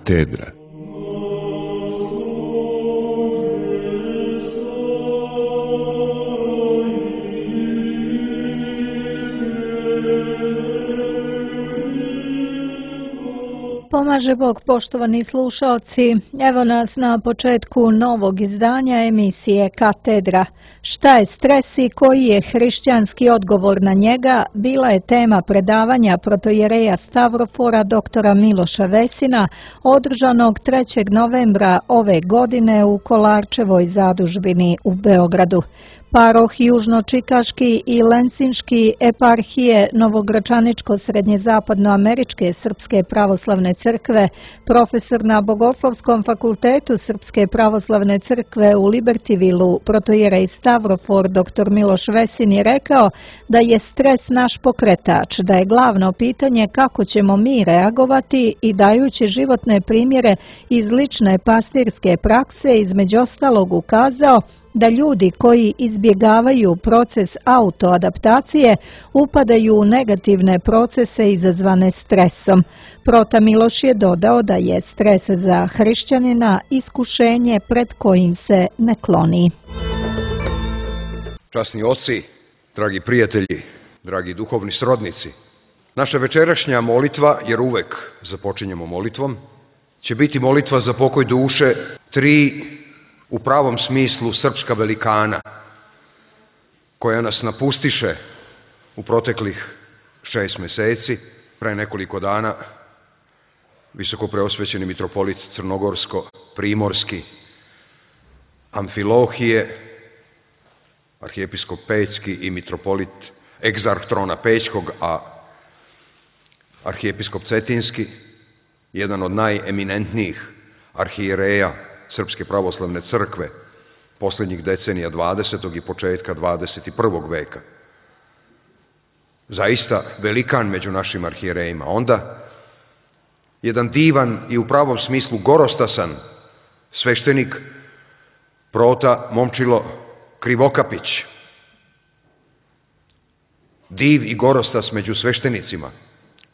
Katedra. Pomaže Bog, poštovani slušalci, evo nas na početku novog izdanja emisije Katedra. Šta je stres i koji je hrišćanski odgovor na njega, bila je tema predavanja protojereja Stavrofora doktora Miloša Vesina, održanog 3. novembra ove godine u Kolarčevoj zadužbini u Beogradu. Paroh Južno-Čikaški i Lensinški eparhije Novogračaničko-srednjezapadnoameričke Srpske pravoslavne crkve, profesor na Bogoslovskom fakultetu Srpske pravoslavne crkve u Libertivilu, protojerej Stavrofor dr. Miloš Vesin je rekao da je stres naš pokretač, da je glavno pitanje kako ćemo mi reagovati i dajući životne primjere iz lične pastirske prakse između ostalog ukazao da ljudi koji izbjegavaju proces autoadaptacije upadaju u negativne procese izazvane stresom. Prota Miloš je dodao da je stres za hrišćanina iskušenje pred kojim se ne kloni. Časni oci, dragi prijatelji, dragi duhovni srodnici, naša večerašnja molitva, jer uvek započinjemo molitvom, će biti molitva za pokoj duše tri u pravom smislu srpska velikana, koja nas napustiše u proteklih 6 meseci. Pre nekoliko dana visokopreosvećeni mitropolit Crnogorsko-Primorski Amfilohije, arhijepiskop Pećki i mitropolit egzarh trona Pećkog, a arhijepiskop Cetinski, jedan od najeminentnijih arhijereja Srpske pravoslavne crkve posljednjih decenija 20. i početka 21. veka. Zaista velikan među našim arhijerejima. Onda jedan divan i u pravom smislu gorostasan sveštenik prota Momčilo Krivokapić. Div i gorostas među sveštenicima,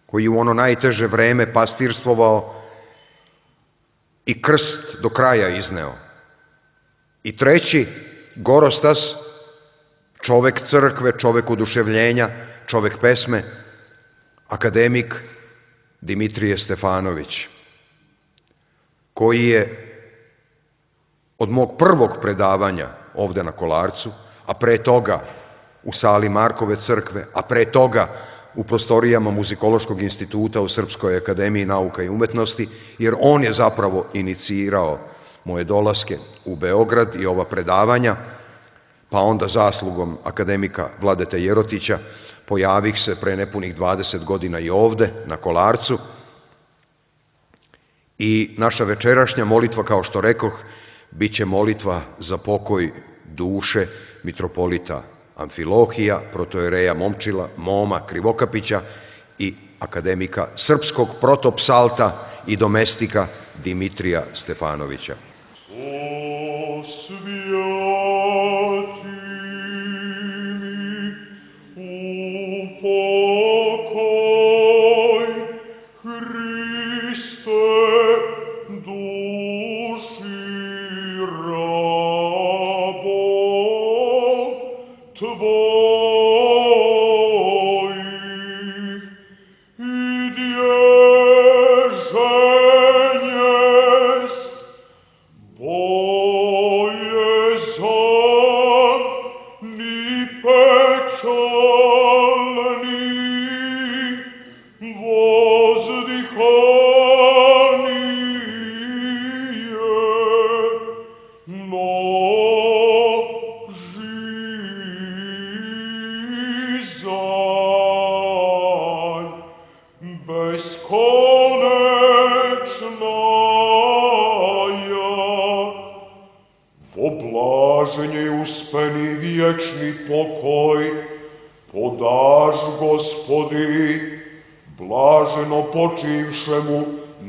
koji u ono najteže vreme pastirstvovao i krst do kraja izneo. I treći, gorostas, čovek crkve, čovek oduševljenja, čovek pesme, akademik Dimitrije Stefanović, koji je od mog prvog predavanja ovde na Kolarcu, a pre toga u sali Markove crkve, a pre toga u prostorijama Muzikološkog instituta u Srpskoj akademiji nauka i umetnosti, jer on je zapravo inicirao moje dolaske u Beograd i ova predavanja, pa onda zaslugom akademika Vladete Jerotića pojavih se pre nepunih 20 godina i ovde na Kolarcu. I naša večerašnja molitva, kao što rekoh, bit će molitva za pokoj duše mitropolita Amfilohija, protojereja Momčila, Moma Krivokapića i akademika srpskog protopsalta i domestika Dimitrija Stefanovića.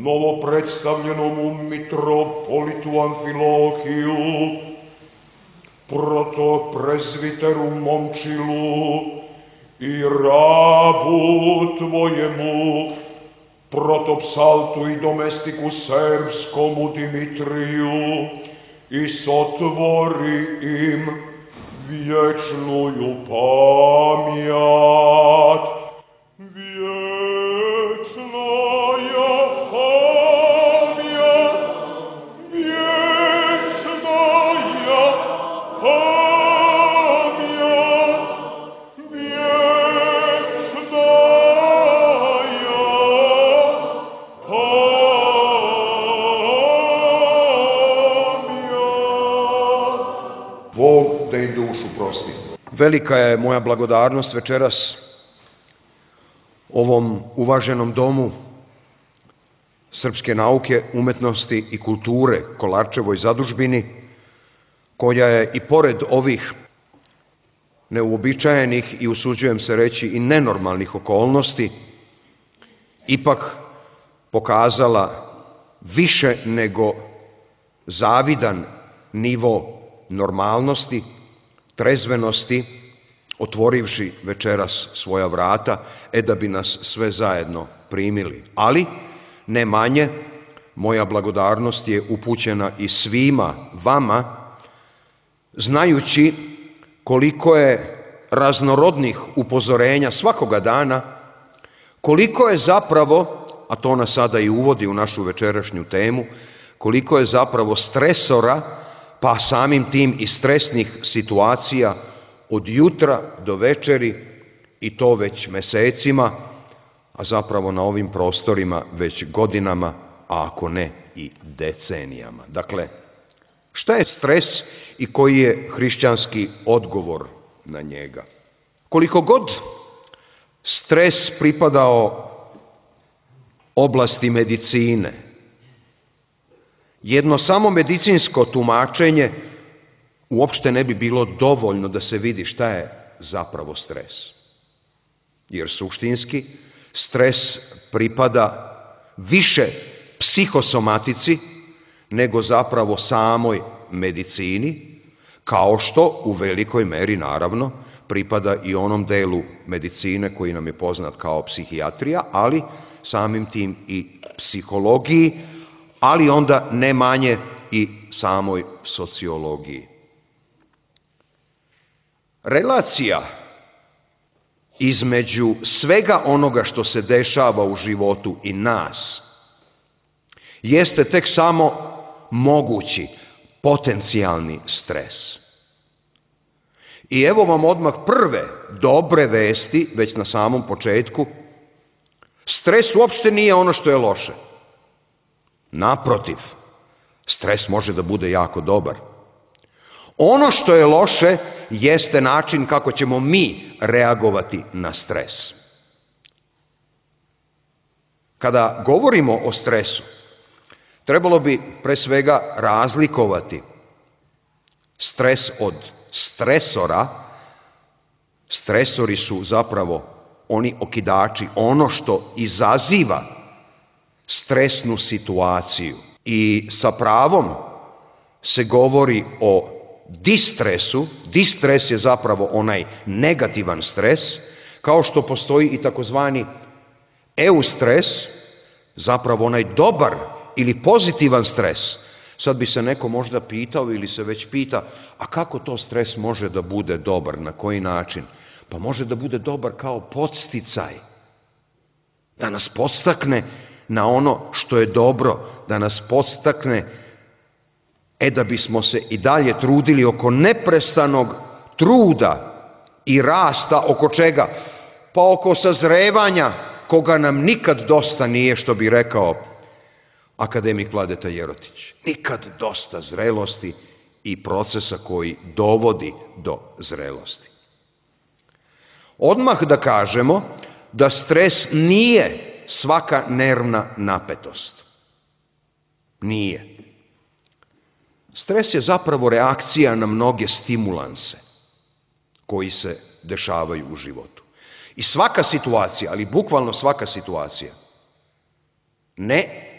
Novopredstavljenomu mitropolitu Amfilohiju, protoprezviteru Momčilu i rabu tvojemu protopsaltu i domestiku serbskomu Dimitriju, i sotvori im vječnuju pamjat. Velika je moja blagodarnost večeras ovom uvaženom domu srpske nauke, umetnosti i kulture Kolarčevoj zadužbini, koja je i pored ovih neuobičajenih i, usuđujem se reći, i nenormalnih okolnosti, ipak pokazala više nego zavidan nivo normalnosti, trezvenosti, otvorivši večeras svoja vrata, da bi nas sve zajedno primili. Ali, ne manje, moja blagodarnost je upućena i svima vama, znajući koliko je raznorodnih upozorenja svakoga dana, koliko je zapravo, a to nas sada i uvodi u našu večerašnju temu, koliko je zapravo stresora, pa samim tim i stresnih situacija od jutra do večeri, i to već mesecima, a zapravo na ovim prostorima već godinama, a ako ne i decenijama. Dakle, šta je stres i koji je hrišćanski odgovor na njega? Koliko god stres pripadao oblasti medicine, jedno samo medicinsko tumačenje uopšte ne bi bilo dovoljno da se vidi šta je zapravo stres. Jer suštinski stres pripada više psihosomatici nego zapravo samoj medicini, kao što u velikoj meri, naravno, pripada i onom delu medicine koji nam je poznat kao psihijatrija, ali samim tim i psihologiji, ali onda ne manje i samoj sociologiji. Relacija između svega onoga što se dešava u životu i nas jeste tek samo mogući potencijalni stres. I evo vam odmah prve dobre vesti, već na samom početku. Stres uopšte nije ono što je loše. Naprotiv, stres može da bude jako dobar. Ono što je loše jeste način kako ćemo mi reagovati na stres. Kada govorimo o stresu, trebalo bi pre svega razlikovati stres od stresora. Stresori su zapravo oni okidači, ono što izaziva stresnu situaciju. I sa pravom se govori o distresu. Distres je zapravo onaj negativan stres, kao što postoji i takozvani eustres, zapravo onaj dobar ili pozitivan stres. Sad bi se neko možda pitao ili se već pita, a kako to stres može da bude dobar, na koji način? Pa može da bude dobar kao podsticaj, da nas podstakne na ono što je dobro, da nas podstakne da bismo se i dalje trudili oko neprestanog truda i rasta, oko čega? Pa oko sazrevanja, koga nam nikad dosta nije, što bi rekao akademik Vladeta Jerotić. Nikad dosta zrelosti i procesa koji dovodi do zrelosti. Odmah da kažemo da stres nije svaka nervna napetost. Nije. Stres je zapravo reakcija na mnoge stimulanse koji se dešavaju u životu. I svaka situacija, ali bukvalno svaka situacija, ne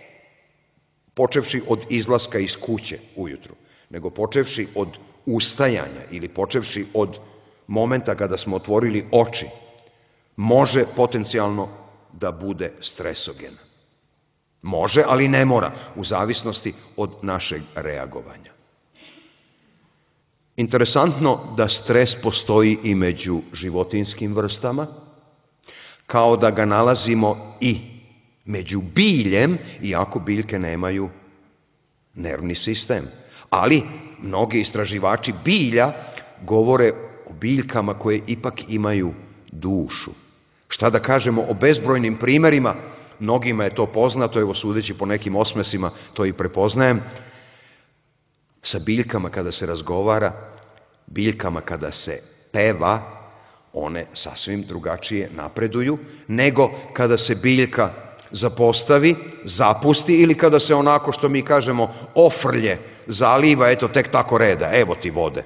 počevši od izlaska iz kuće ujutru, nego počevši od ustajanja ili počevši od momenta kada smo otvorili oči, može potencijalno da bude stresogena. Može, ali ne mora, u zavisnosti od našeg reagovanja. Interesantno da stres postoji i među životinjskim vrstama, kao da ga nalazimo i među biljem, iako biljke nemaju nervni sistem. Ali mnogi istraživači bilja govore o biljkama koje ipak imaju dušu. Šta da kažemo o bezbrojnim primerima, mnogima je to poznato, evo sudeći po nekim osmesima to i prepoznajem, sa biljkama kada se razgovara, biljkama kada se peva, one sasvim drugačije napreduju, nego kada se biljka zapostavi, zapusti ili kada se onako što mi kažemo ofrlje, zaliva, eto tek tako reda, evo ti vode.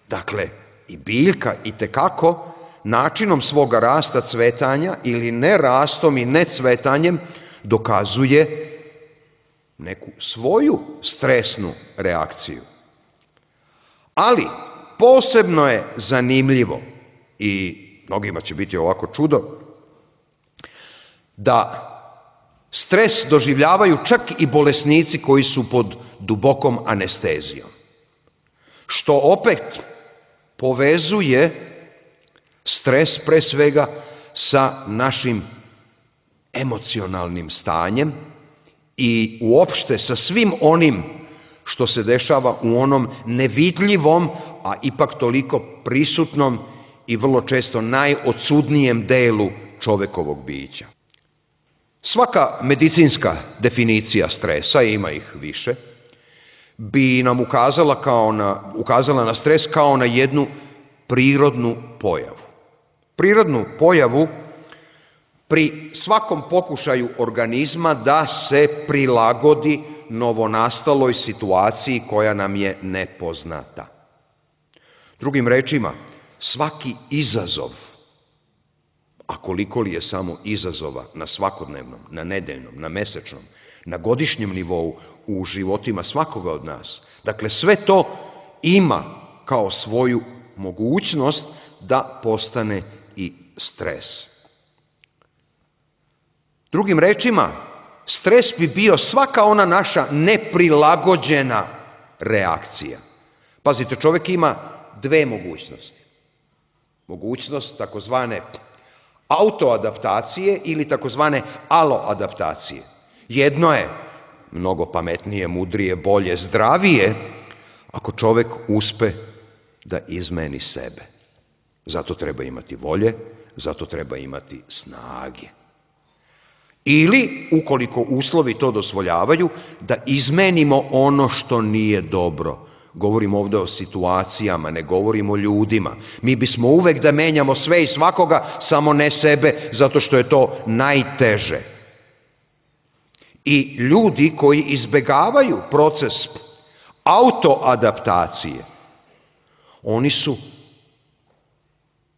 Dakle, i biljka itekako načinom svoga rasta, cvetanja ili ne rastom i ne cvetanjem dokazuje neku svoju stresnu reakciju. Ali posebno je zanimljivo i mnogima će biti ovako čudo da stres doživljavaju čak i bolesnici koji su pod dubokom anestezijom. Što opet povezuje stres pre svega sa našim emocionalnim stanjem i uopšte sa svim onim što se dešava u onom nevidljivom, a ipak toliko prisutnom i vrlo često najodsudnijem delu čovekovog bića. Svaka medicinska definicija stresa, ima ih više, bi nam ukazala na stres kao na jednu prirodnu pojavu. Prirodnu pojavu pri svakom pokušaju organizma da se prilagodi novonastaloj situaciji koja nam je nepoznata. Drugim rečima, svaki izazov, a koliko li je samo izazova na svakodnevnom, na nedeljnom, na mesečnom, na godišnjem nivou u životima svakoga od nas, dakle sve to ima kao svoju mogućnost da postane i stres. Drugim rečima, stres bi bio svaka ona naša neprilagođena reakcija. Pazite, čovjek ima dve mogućnosti. Mogućnost takozvane autoadaptacije ili takozvane aloadaptacije. Jedno je mnogo pametnije, mudrije, bolje, zdravije, ako čovjek uspe da izmeni sebe. Zato treba imati volje, zato treba imati snage. Ili, ukoliko uslovi to dozvoljavaju, da izmenimo ono što nije dobro. Govorimo ovdje o situacijama, ne govorimo o ljudima. Mi bismo uvek da menjamo sve i svakoga, samo ne sebe, zato što je to najteže. I ljudi koji izbegavaju proces autoadaptacije, oni su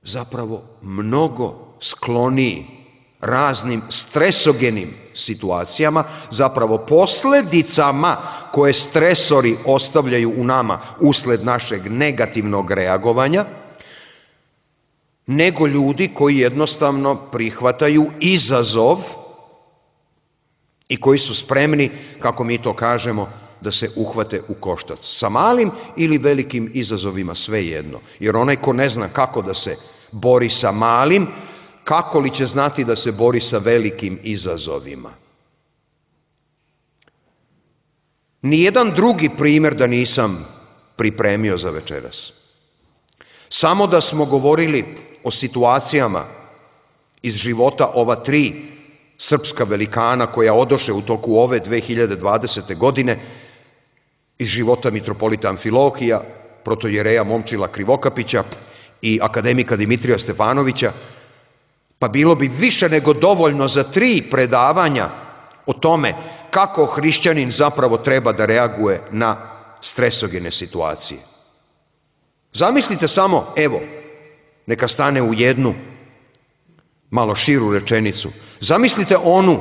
zapravo mnogo skloniji raznim stresogenim situacijama, zapravo posljedicama koje stresori ostavljaju u nama usled našeg negativnog reagovanja, nego ljudi koji jednostavno prihvataju izazov i koji su spremni, kako mi to kažemo, da se uhvate u koštac sa malim ili velikim izazovima, svejedno. Jer onaj ko ne zna kako da se bori sa malim, kako li će znati da se bori sa velikim izazovima? Nijedan drugi primjer da nisam pripremio za večeras. Samo da smo govorili o situacijama iz života ova tri srpska velikana koja odoše u toku ove 2020. godine iz života mitropolita Amfilohija, protojereja Momčila Krivokapića i akademika Dimitrija Stefanovića, pa bilo bi više nego dovoljno za 3 predavanja o tome kako hrišćanin zapravo treba da reaguje na stresogene situacije. Zamislite samo, evo, neka stane u jednu malo širu rečenicu. Zamislite onu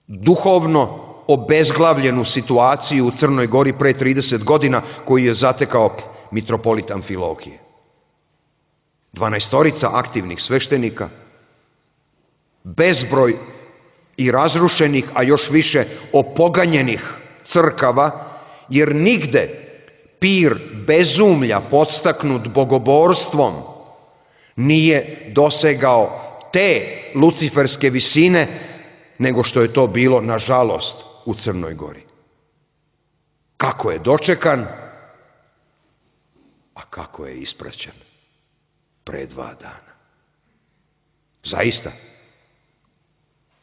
duhovno obezglavljenu situaciju u Crnoj Gori pre 30 godina koju je zatekao mitropolit Amfilohije. 12 aktivnih sveštenika, bezbroj i razrušenih, a još više opoganjenih crkava, jer nigde pir bezumlja podstaknut bogoborstvom nije dosegao te luciferske visine, nego što je to bilo, nažalost, u Crnoj Gori. Kako je dočekan, a kako je ispraćen pre 2 dana. Zaista,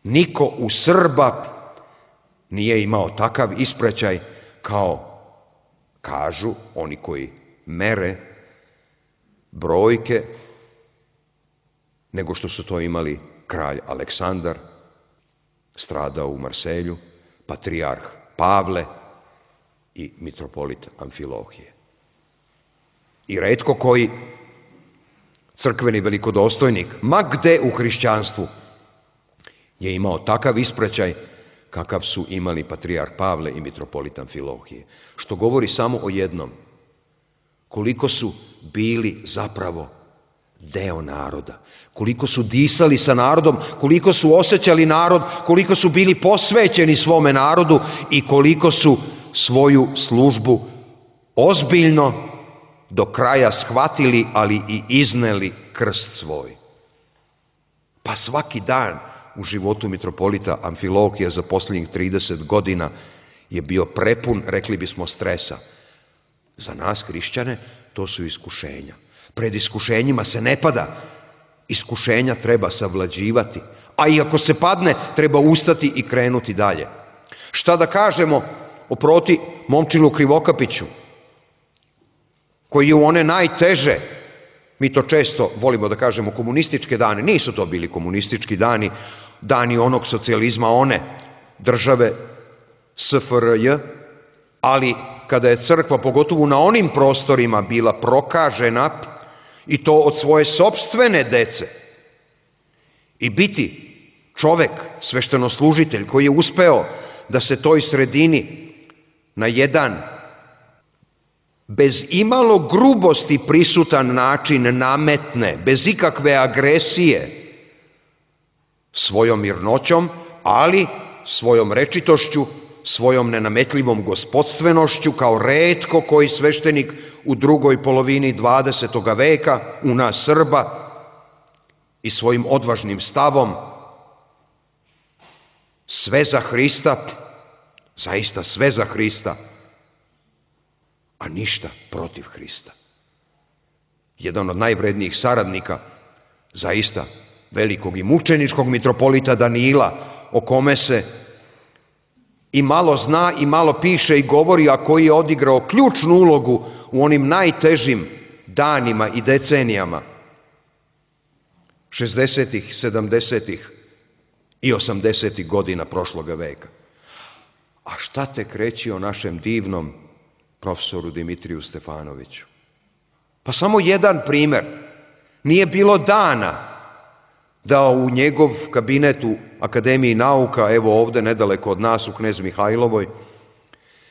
niko u Srba nije imao takav ispraćaj kao kažu oni koji mere brojke, nego što su to imali kralj Aleksandar, stradao u Marselju, patrijarh Pavle i mitropolit Amfilohije. I retko koji crkveni velikodostojnik, ma gde u hrišćanstvu, je imao takav ispraćaj kakav su imali patrijarh Pavle i mitropolit Amfilohije. Što govori samo o jednom, koliko su bili zapravo deo naroda, koliko su disali sa narodom, koliko su osjećali narod, koliko su bili posvećeni svome narodu i koliko su svoju službu ozbiljno do kraja shvatili, ali i izneli krst svoj. Pa svaki dan u životu mitropolita Amfilohija za posljednjih 30 godina je bio prepun, rekli bismo, stresa. Za nas hrišćane to su iskušenja. Pred iskušenjima se ne pada. Iskušenja treba savlađivati. A i ako se padne, treba ustati i krenuti dalje. Šta da kažemo oproti Momčilu Krivokapiću, koji je u one najteže, mi to često volimo da kažemo komunističke dane, nisu to bili komunistički dani, dani onog socijalizma, one države SFRJ, ali kada je crkva, pogotovo na onim prostorima, bila prokažena, i to od svoje sopstvene dece, i biti čovek, sveštenoslužitelj, koji je uspeo da se toj sredini na jedan bez imalo grubosti prisutan način nametne, bez ikakve agresije, svojom mirnoćom, ali svojom rečitošću, svojom nenametljivom gospodstvenošću, kao retko koji sveštenik u drugoj polovini 20. veka u nas Srba, i svojim odvažnim stavom, sve za Hrista, zaista sve za Hrista, a ništa protiv Hrista. Jedan od najvrednijih saradnika, zaista velikog i mučeničkog mitropolita Danila, o kome se i malo zna i malo piše i govori, a koji je odigrao ključnu ulogu u onim najtežim danima i decenijama 60-ih, 70-ih i 80-ih godina prošloga veka. A šta tek reći o našem divnom profesoru Dimitriju Stefanoviću? Pa samo jedan primer. Nije bilo dana da u njegov kabinet u Akademiji nauka, evo ovde nedaleko od nas u Knez Mihajlovoj,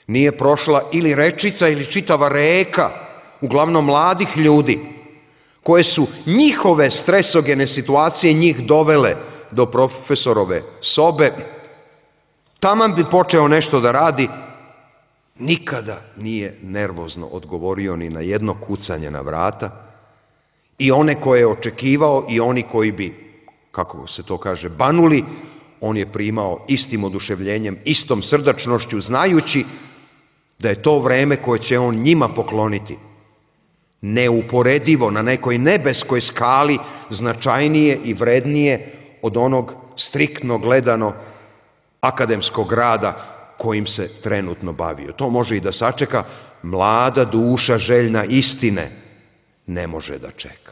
nije prošla ili rečica ili čitava reka, uglavnom mladih ljudi, koje su njihove stresogene situacije njih dovele do profesorove sobe. Taman bi počeo nešto da radi, nikada nije nervozno odgovorio ni na jedno kucanje na vrata, i one koje je očekivao i oni koji bi, kako se to kaže, banuli, on je primao istim oduševljenjem, istom srdačnošću, znajući da je to vreme koje će on njima pokloniti neuporedivo na nekoj nebeskoj skali značajnije i vrednije od onog striktno gledano akademskog rada kojim se trenutno bavio. To može i da sačeka, mlada duša željna istine ne može da čeka.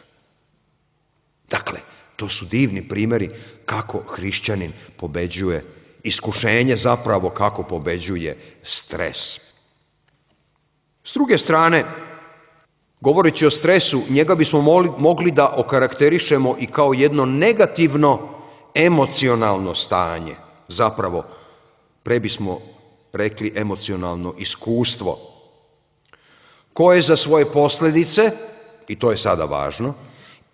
Dakle, to su divni primjeri kako hrišćanin pobeđuje iskušenje, zapravo kako pobeđuje stres. S druge strane, govoreći o stresu, njega bismo mogli da okarakterišemo i kao jedno negativno emocionalno stanje. Zapravo, pre bismo rekli emocionalno iskustvo, koje za svoje posljedice, i to je sada važno,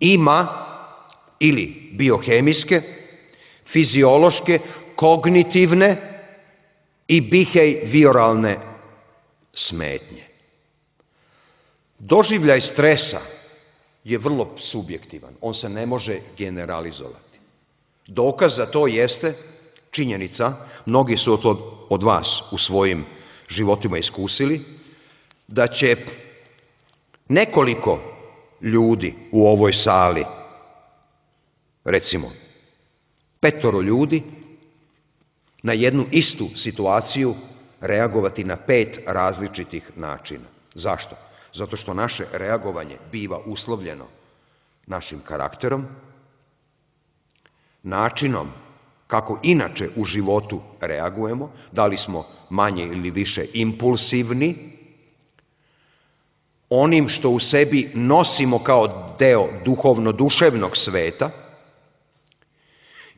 ima ili biohemijske, fiziološke, kognitivne i behavioralne smetnje. Doživljaj stresa je vrlo subjektivan, on se ne može generalizovati. Dokaz za to jeste činjenica, mnogi su to od vas u svojim životima iskusili, da će nekoliko ljudi u ovoj sali, recimo 5 ljudi, na jednu istu situaciju reagovati na 5 različitih načina. Zašto? Zato što naše reagovanje biva uslovljeno našim karakterom, načinom kako inače u životu reagujemo, da li smo manje ili više impulsivni, onim što u sebi nosimo kao deo duhovno-duševnog sveta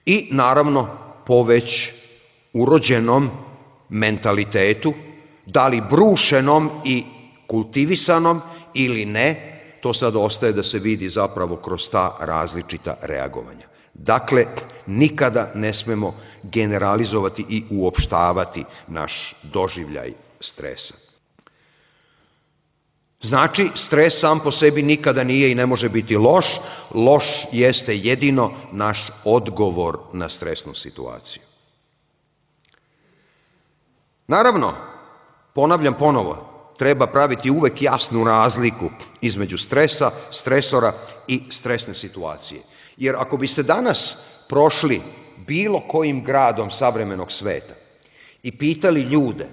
i naravno po već urođenom mentalitetu, da li brušenom i kultivisanom ili ne, to sad ostaje da se vidi zapravo kroz ta različita reagovanja. Dakle, nikada ne smemo generalizovati i uopštavati naš doživljaj stresa. Znači, stres sam po sebi nikada nije i ne može biti loš. Loš jeste jedino naš odgovor na stresnu situaciju. Naravno, ponavljam ponovo, treba praviti uvek jasnu razliku između stresa, stresora i stresne situacije. Jer ako biste danas prošli bilo kojim gradom savremenog sveta i pitali ljude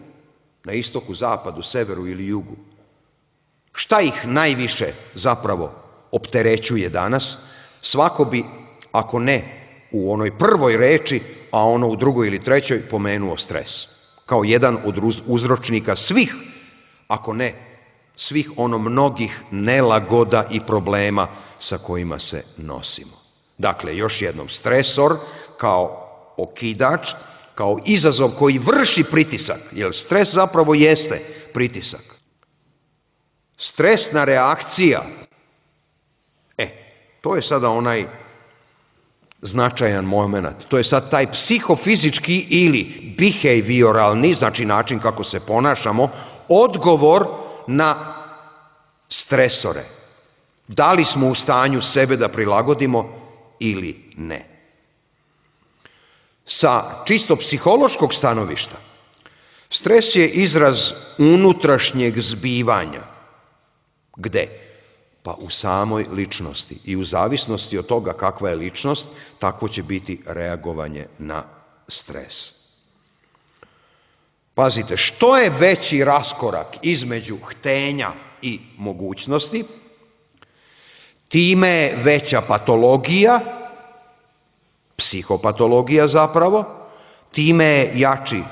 na istoku, zapadu, severu ili jugu, šta ih najviše zapravo opterećuje danas, svako bi, ako ne u onoj prvoj reči, a ono u drugoj ili trećoj, pomenuo stres. Kao jedan od uzročnika svih, ako ne svih mnogih nelagoda i problema sa kojima se nosimo. Dakle, još jednom, stresor kao okidač, kao izazov koji vrši pritisak, jer stres zapravo jeste pritisak. Stresna reakcija, to je sada onaj značajan moment. To je sad taj psihofizički ili behavioralni, znači način kako se ponašamo, odgovor na stresore. Da li smo u stanju sebe da prilagodimo ili ne. Sa čisto psihološkog stanovišta, stres je izraz unutrašnjeg zbivanja. Gde? Pa u samoj ličnosti. I u zavisnosti od toga kakva je ličnost, takvo će biti reagovanje na stres. Pazite, što je veći raskorak između htenja i mogućnosti, time je veća patologija, psihopatologija zapravo, time je jači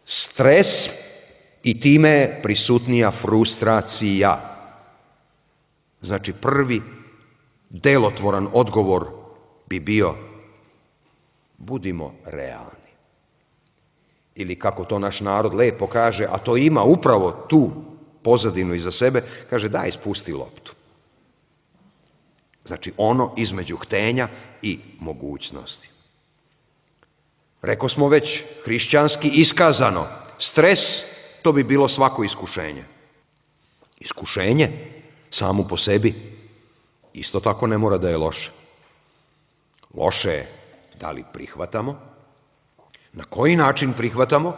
stres i time je prisutnija frustracija. Znači, prvi delotvoran odgovor bi bio: budimo realni. Ili kako to naš narod lepo kaže, a to ima upravo tu pozadinu iza sebe, kaže: daj, spusti loptu. Znači, ono između htenja i mogućnosti. Reko smo već, hrišćanski iskazano, stres, to bi bilo svako iskušenje. Iskušenje samo po sebi isto tako ne mora da je loše. Loše je da li prihvatamo, na koji način prihvatamo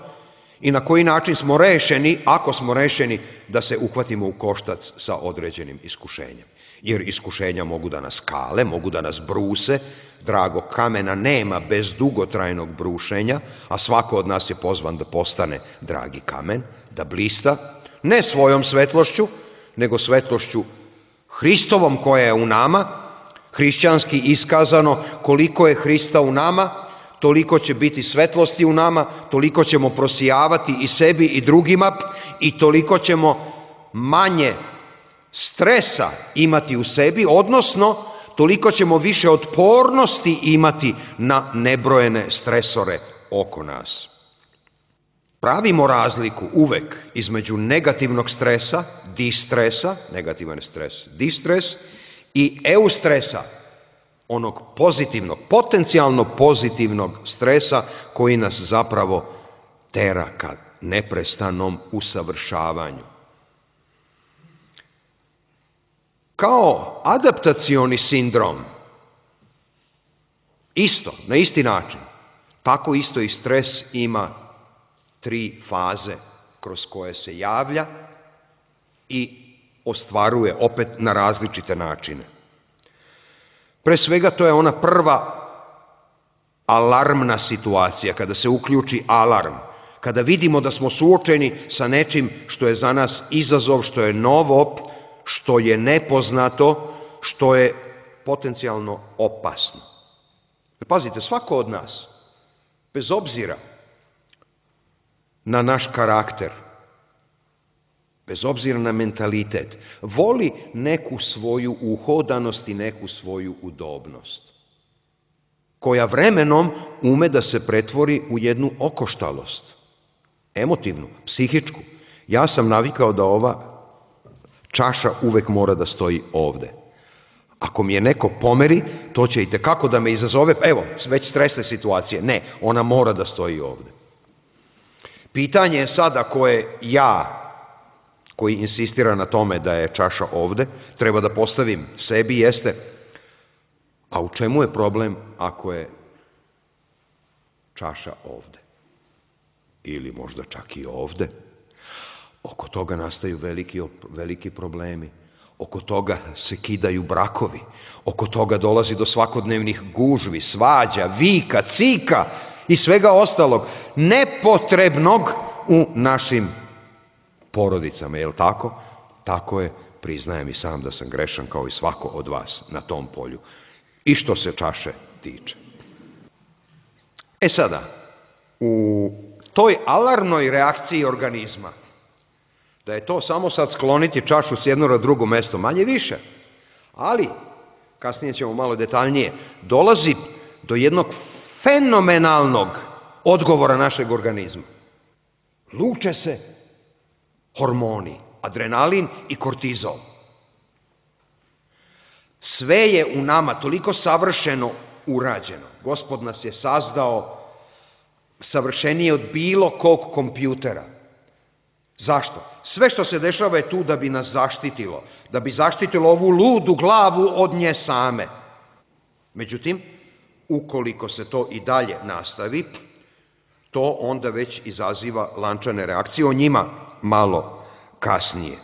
i na koji način smo rešeni, ako smo rešeni, da se uhvatimo u koštac sa određenim iskušenjem. Jer iskušenja mogu da nas kale, mogu da nas bruse, dragog kamena nema bez dugotrajnog brušenja, a svako od nas je pozvan da postane dragi kamen, da blista, ne svojom svetlošću, nego svetlošću Hristovom koja je u nama, hrišćanski iskazano, koliko je Hrista u nama, toliko će biti svetlosti u nama, toliko ćemo prosijavati i sebi i drugima i toliko ćemo manje stresa imati u sebi, odnosno toliko ćemo više otpornosti imati na nebrojene stresore oko nas. Pravimo razliku uvek između negativnog stresa, distresa, negativan stres, distres, i eustresa, onog pozitivnog, potencijalno pozitivnog stresa koji nas zapravo tera ka neprestanom usavršavanju. Kao adaptacioni sindrom, isto, na isti način, tako isto i stres ima 3 faze kroz koje se javlja i ostvaruje opet na različite načine. Pre svega to je ona prva alarmna situacija, kada se uključi alarm, kada vidimo da smo suočeni sa nečim što je za nas izazov, što je novo, što je nepoznato, što je potencijalno opasno. Pazite, svako od nas, bez obzira na naš karakter, bez obzira na mentalitet, voli neku svoju uhodanost i neku svoju udobnost, koja vremenom ume da se pretvori u jednu okoštalost, emotivnu, psihičku. Ja sam navikao da ova čaša uvek mora da stoji ovde. Ako mi je neko pomeri, to će itekako da me izazove, evo, već stresne situacije. Ne, ona mora da stoji ovde. Pitanje je sada koje ja, koji insistira na tome da je čaša ovde, treba da postavim sebi, jeste, a u čemu je problem ako je čaša ovde? Ili možda čak i ovde? Oko toga nastaju veliki problemi. Oko toga se kidaju brakovi. Oko toga dolazi do svakodnevnih gužvi, svađa, vika, cika i svega ostalog nepotrebnog u našim porodicama. Je li tako? Tako je, priznajem i sam da sam grešan kao i svako od vas na tom polju. I što se čaše tiče. E sada, u toj alarmnoj reakciji organizma, da je to samo sad skloniti čašu s jedno na drugo mesto, manje više, ali, kasnije ćemo malo detaljnije, dolazi do jednog fenomenalnog odgovora našeg organizma. Luče se hormoni, adrenalin i kortizol. Sve je u nama toliko savršeno urađeno. Gospod nas je sazdao savršenije od bilo kog kompjutera. Zašto? Sve što se dešava je tu da bi nas zaštitilo, da bi zaštitilo ovu ludu glavu od nje same. Međutim, ukoliko se to i dalje nastavi, to onda već izaziva lančane reakcije, o njima malo kasnije.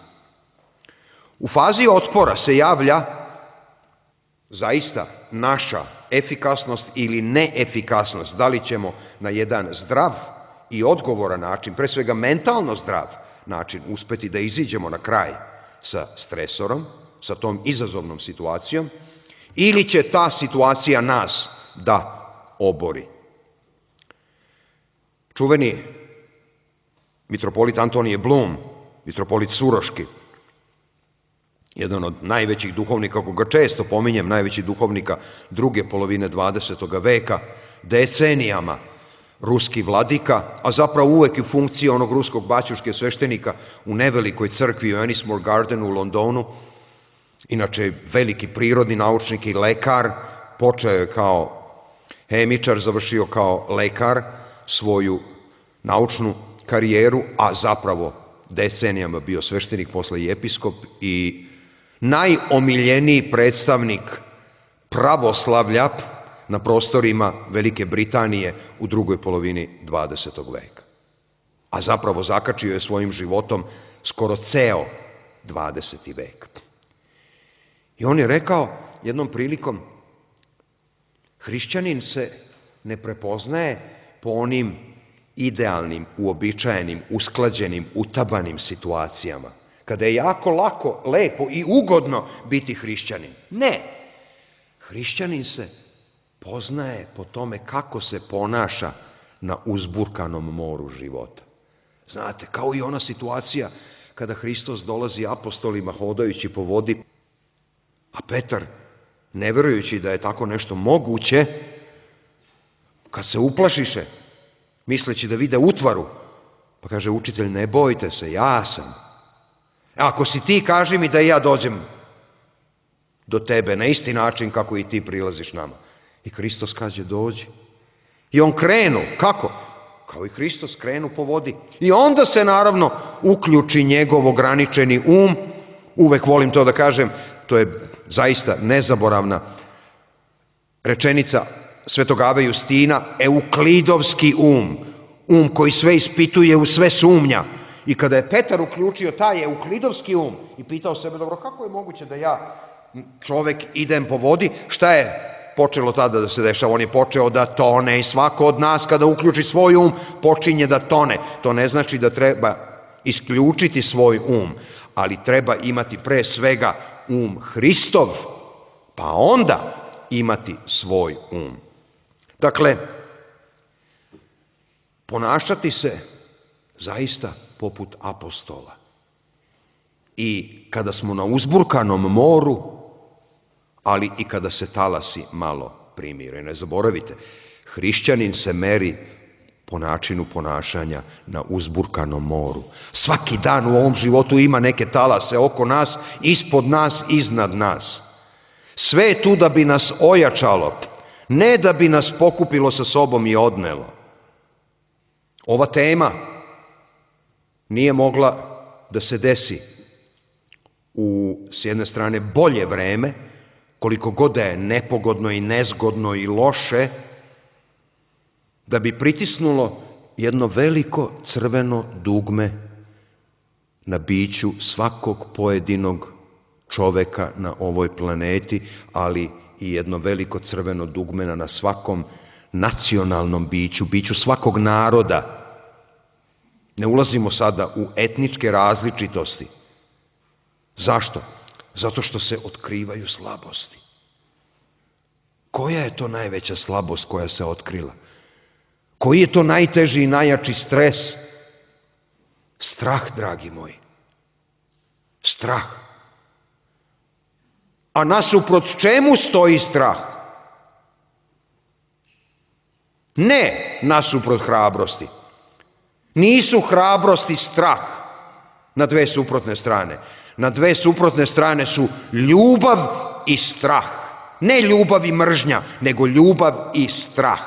U fazi otpora se javlja zaista naša efikasnost ili neefikasnost, da li ćemo na jedan zdrav i odgovoran način, pre svega mentalno zdrav način, uspeti da iziđemo na kraj sa stresorom, sa tom izazovnom situacijom, ili će ta situacija nas da obori. Čuveni mitropolit Antonije Blum, mitropolit Suroški, jedan od najvećih duhovnika, koga često pominjem, najvećih duhovnika druge polovine 20. veka, decenijama ruski vladika, a zapravo uvek u funkciji onog ruskog baćuške sveštenika u nevelikoj crkvi u Ennismore Gardenu u Londonu, inače veliki prirodni naučnik i lekar, počeo je kao hemičar, završio kao lekar svoju naučnu karijeru, a zapravo decenijama bio sveštenik, posle i episkop i najomiljeniji predstavnik pravoslavlja na prostorima Velike Britanije u drugoj polovini 20. veka. A zapravo zakačio je svojim životom skoro ceo 20. vek. I on je rekao jednom prilikom, hrišćanin se ne prepoznaje po onim idealnim, uobičajenim, usklađenim, utabanim situacijama, kada je jako lako, lepo i ugodno biti hrišćanin. Ne, hrišćanin se poznaje po tome kako se ponaša na uzburkanom moru života. Znate, kao i ona situacija kada Hristos dolazi apostolima hodajući po vodi, a Petar, ne verujući da je tako nešto moguće, kad se uplašiše, misleći da vide utvaru, pa kaže učitelj, ne bojte se, ja sam. Ako si ti, kaži mi da i ja dođem do tebe na isti način kako i ti prilaziš nama. I Hristos kaže dođi. I on krenu, kako? Kao i Hristos krenu po vodi. I onda se naravno uključi njegov ograničeni uvek volim to da kažem, to je zaista nezaboravna rečenica Svetog Ave Justina, euklidovski koji sve ispituje, u sve sumnja. I kada je Petar uključio taj euklidovski i pitao sebe, dobro, kako je moguće da ja, čovek, idem po vodi, šta je počelo tada da se dešava? On je počeo da tone i svako od nas kada uključi svoj počinje da tone. To ne znači da treba isključiti svoj ali treba imati pre svega Hristov, pa onda imati svoj Dakle, ponašati se zaista poput apostola. I kada smo na uzburkanom moru, ali i kada se talasi malo primire. Ne zaboravite, hrišćanin se meri po načinu ponašanja na uzburkanom moru. Svaki dan u ovom životu ima neke talase oko nas, ispod nas, iznad nas. Sve je tu da bi nas ojačalo, ne da bi nas pokupilo sa sobom i odnelo. Ova tema nije mogla da se desi s jedne strane bolje vreme, koliko god da je nepogodno i nezgodno i loše, da bi pritisnulo jedno veliko crveno dugme na biću svakog pojedinog čoveka na ovoj planeti, ali i jedno veliko crveno dugme na svakom nacionalnom biću svakog naroda. Ne ulazimo sada u etničke različitosti. Zašto? Zato što se otkrivaju slabosti. Koja je to najveća slabost koja se otkrila? Koji je to najteži i najjači stres? Strah, dragi moji. Strah. A nasuprot čemu stoji strah? Ne nasuprot hrabrosti. Nisu hrabrost i strah na dve suprotne strane. Na dve suprotne strane su ljubav i strah. Ne ljubav i mržnja, nego ljubav i strah.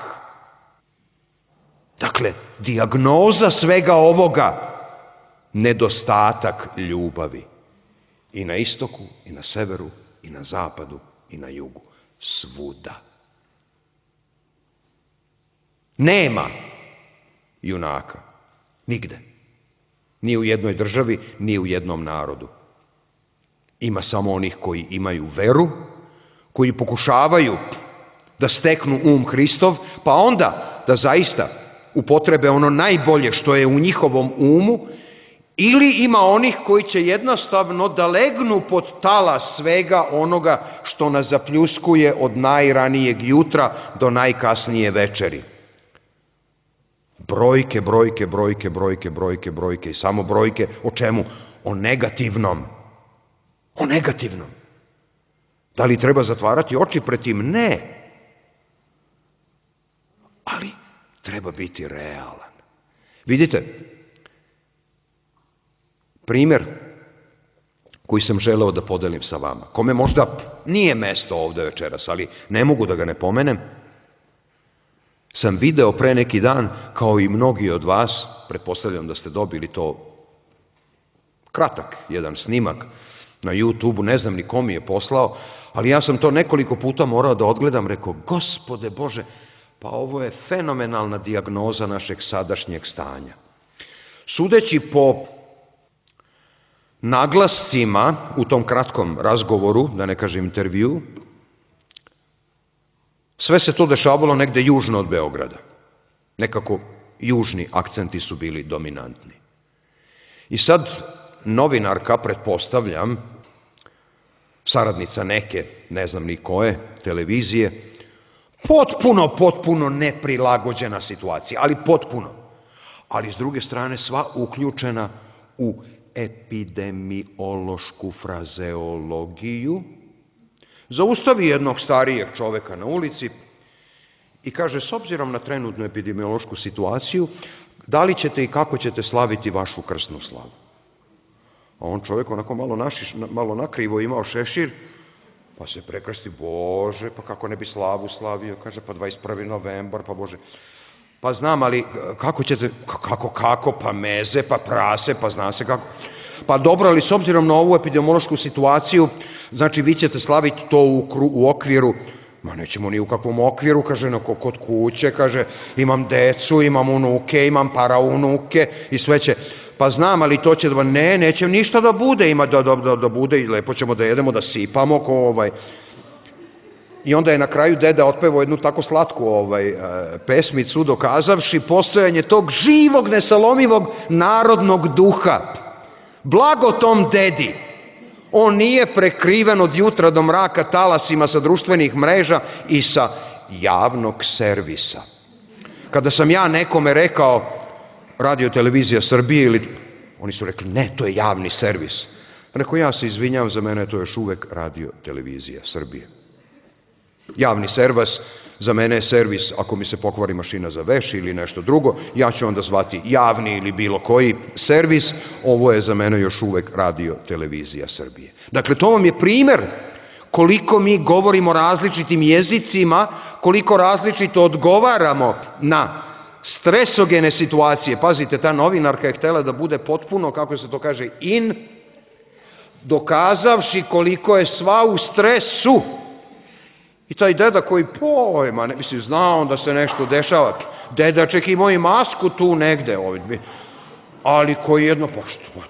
Dakle, dijagnoza svega ovoga, nedostatak ljubavi. I na istoku, i na severu, i na zapadu, i na jugu. Svuda. Nema junaka. Nigde. Ni u jednoj državi, ni u jednom narodu. Ima samo onih koji imaju veru, koji pokušavaju da steknu Hristov, pa onda da zaista upotrebe ono najbolje što je u njihovom ili ima onih koji će jednostavno da legnu pod talas svega onoga što nas zapljuskuje od najranijeg jutra do najkasnije večeri. Brojke, brojke, brojke, brojke, brojke, brojke i samo brojke. O čemu? O negativnom. O negativnom. Da li treba zatvarati oči pred tim? Ne. Ali treba biti realan. Vidite, primjer koji sam želeo da podelim sa vama, kome možda nije mesto ovde večeras, ali ne mogu da ga ne pomenem, sam video pre neki dan, kao i mnogi od vas, pretpostavljam da ste dobili to kratak jedan snimak na YouTube-u, ne znam ni ko mi je poslao, ali ja sam to nekoliko puta morao da odgledam, rekao, Gospode Bože, pa ovo je fenomenalna dijagnoza našeg sadašnjeg stanja. Sudeći po naglascima u tom kratkom razgovoru, da ne kažem intervju, sve se to dešavalo negde južno od Beograda. Nekako južni akcenti su bili dominantni. I sad novinarka, pretpostavljam, saradnica neke, ne znam ni koje, televizije, potpuno neprilagođena situacija, ali potpuno. Ali s druge strane sva uključena u epidemiološku frazeologiju, zaustavi jednog starijeg čoveka na ulici i kaže, s obzirom na trenutnu epidemiološku situaciju, da li ćete i kako ćete slaviti vašu krsnu slavu? A on čovjek onako malo nakrivo imao šešir Pa se prekrsti, Bože, pa kako ne bi slavu slavio, kaže, pa 21. novembar, pa Bože. Pa znam, ali kako ćete, kako, pa meze, pa prase, pa zna se kako. Pa dobro, ali s obzirom na ovu epidemiološku situaciju, znači vi ćete slaviti to u okviru, ma nećemo ni u kakvom okviru, kaže, kod kuće, kaže, imam decu, imam unuke, imam paraunuke i sve će, pa znam, ali to će, neće ništa da bude, ima da bude i lepo ćemo da jedemo, da sipamo, I onda je na kraju deda otpevao jednu tako slatku pesmicu, dokazavši postojanje tog živog, nesalomivog narodnog duha. Blago tom dedi, on nije prekriven od jutra do mraka talasima sa društvenih mreža i sa javnog servisa. Kada sam ja nekome rekao Radio televizija Srbije, ili oni su rekli, ne, to je javni servis. Rekao, ja se izvinjam, za mene to je još uvek Radio televizija Srbije. Javni servis, za mene je servis, ako mi se pokvari mašina za veš ili nešto drugo, ja ću onda zvati javni ili bilo koji servis, ovo je za mene još uvek Radio televizija Srbije. Dakle, to vam je primer koliko mi govorimo različitim jezicima, koliko različito odgovaramo na stresogene situacije. Pazite, ta novinarka je htela da bude potpuno, kako se to kaže, dokazavši koliko je sva u stresu. I taj deda koji pojma, ne mislim, znao da se nešto dešava. Deda, ček, imao i masku tu negde, ali koji jedno, pa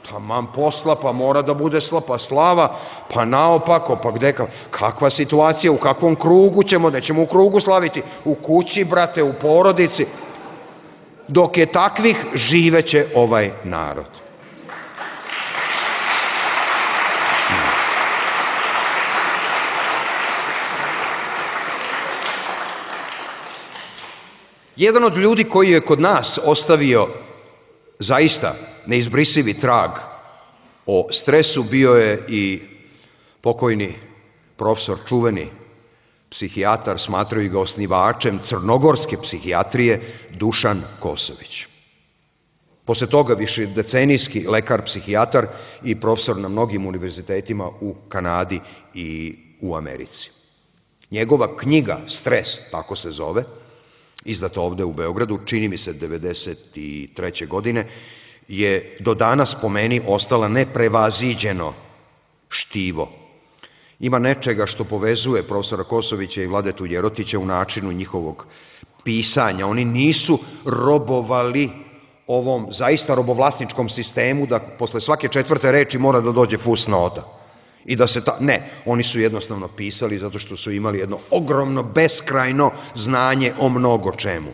taman posla, pa mora da bude pa slava, pa naopako, pa gde, kakva situacija, u kakvom krugu ćemo, nećemo u krugu slaviti, u kući, brate, u porodici. Dok je takvih, živeće ovaj narod. Jedan od ljudi koji je kod nas ostavio zaista neizbrisivi trag o stresu bio je i pokojni profesor, čuveni psihijatar, smatraju ga osnivačem crnogorske psihijatrije, Dušan Kosović. Posle toga višedecenijski lekar, psihijatar i profesor na mnogim univerzitetima u Kanadi i u Americi. Njegova knjiga Stres, tako se zove, izdata ovde u Beogradu, čini mi se 1993. godine, je do danas po meni ostala neprevaziđeno štivo. Ima nečega što povezuje profesora Kosovića i Vladetu Jerotića u načinu njihovog pisanja. Oni nisu robovali ovom zaista robovlasničkom sistemu da posle svake četvrte reči mora da dođe fusnota. I da se ne, oni su jednostavno pisali zato što su imali jedno ogromno, beskrajno znanje o mnogo čemu.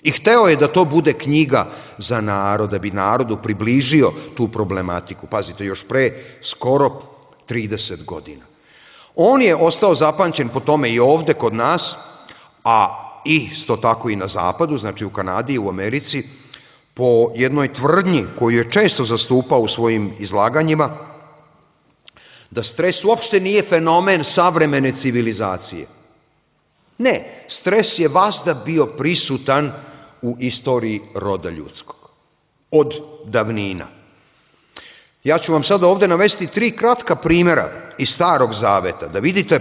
I hteo je da to bude knjiga za narod, da bi narodu približio tu problematiku. Pazite, još pre skoro 30 godina. On je ostao zapamćen po tome i ovde kod nas, a isto tako i na zapadu, znači u Kanadi i u Americi, po jednoj tvrdnji koju je često zastupao u svojim izlaganjima, da stres uopšte nije fenomen savremene civilizacije. Ne, stres je vazda bio prisutan u istoriji roda ljudskog. Od davnina. Ja ću vam sada ovde navesti 3 kratka primjera iz Starog Zaveta, da vidite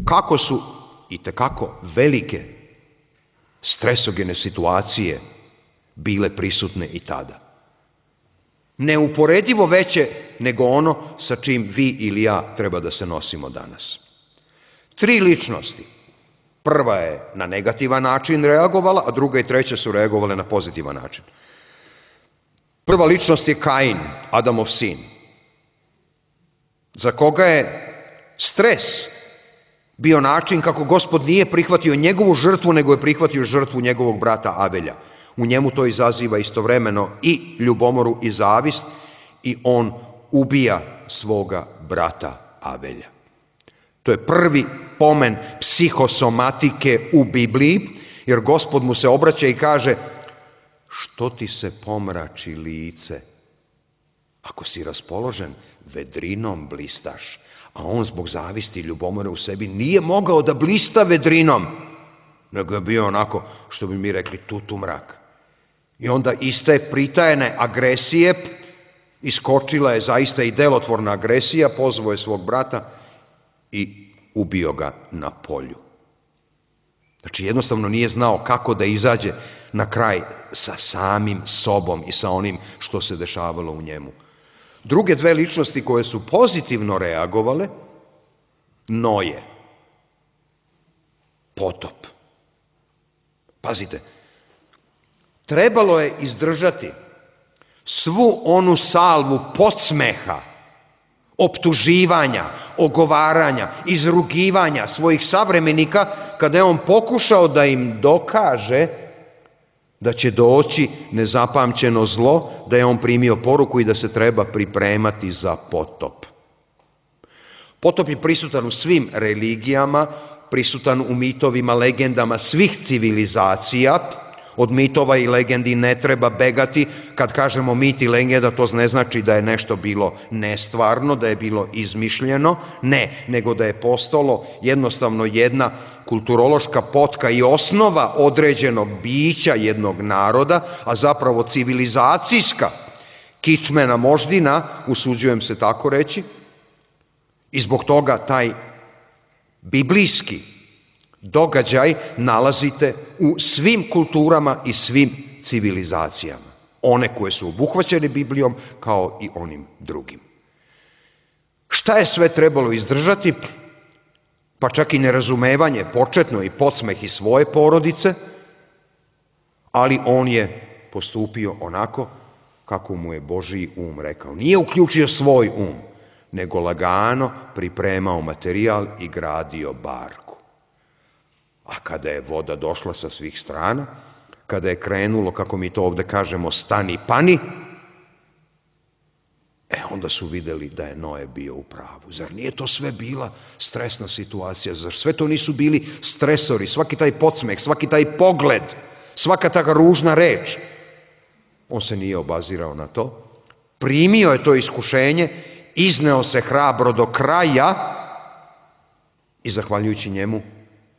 kako su i tekako velike stresogene situacije bile prisutne i tada. Neuporedivo veće nego ono sa čim vi ili ja treba da se nosimo danas. 3 ličnosti. Prva je na negativan način reagovala, a druga i treća su reagovale na pozitivan način. Prva ličnost je Kain, Adamov sin, za koga je stres bio način kako Gospod nije prihvatio njegovu žrtvu, nego je prihvatio žrtvu njegovog brata Abelja. U njemu to izaziva istovremeno i ljubomoru i zavist i on ubija svoga brata Abelja. To je prvi pomen psihosomatike u Bibliji, jer Gospod mu se obraća i kaže: što ti se pomrači lice? Ako si raspoložen, vedrinom blistaš. A on zbog zavisti i ljubomore u sebi nije mogao da blista vedrinom, nego je bio onako, što bi mi rekli, tutu mrak. I onda iste pritajene agresije, iskočila je zaista i delotvorna agresija, pozvao je svog brata i ubio ga na polju. Znači, jednostavno nije znao kako da izađe na kraj sa samim sobom i sa onim što se dešavalo u njemu. Druge dve ličnosti koje su pozitivno reagovale, Noje, potop. Pazite, trebalo je izdržati svu onu salvu podsmeha, optuživanja, ogovaranja, izrugivanja svojih savremenika kada je on pokušao da im dokaže da će doći nezapamćeno zlo, da je on primio poruku i da se treba pripremati za potop. Potop je prisutan u svim religijama, prisutan u mitovima, legendama svih civilizacija. Od mitova i legendi ne treba begati. Kad kažemo mit i legenda, to ne znači da je nešto bilo nestvarno, da je bilo izmišljeno. Ne, nego da je postalo jednostavno jedna kulturološka potka i osnova određenog bića jednog naroda, a zapravo civilizacijska kičmena moždina, usuđujem se tako reći, i zbog toga taj biblijski događaj nalazite u svim kulturama i svim civilizacijama. One koje su obuhvaćene Biblijom kao i onim drugim. Šta je sve trebalo izdržati? Pa čak i nerazumevanje početno i podsmeh i svoje porodice, ali on je postupio onako kako mu je Božji um rekao. Nije uključio svoj um, nego lagano pripremao materijal i gradio barku. A kada je voda došla sa svih strana, kada je krenulo, kako mi to ovde kažemo, stani pani, onda su videli da je Noe bio u pravu. Zar nije to sve bila stresna situacija? Zar sve to nisu bili stresori? Svaki taj podsmeh, svaki taj pogled, svaka ta ružna reč. On se nije obazirao na to. Primio je to iskušenje, izneo se hrabro do kraja i zahvaljujući njemu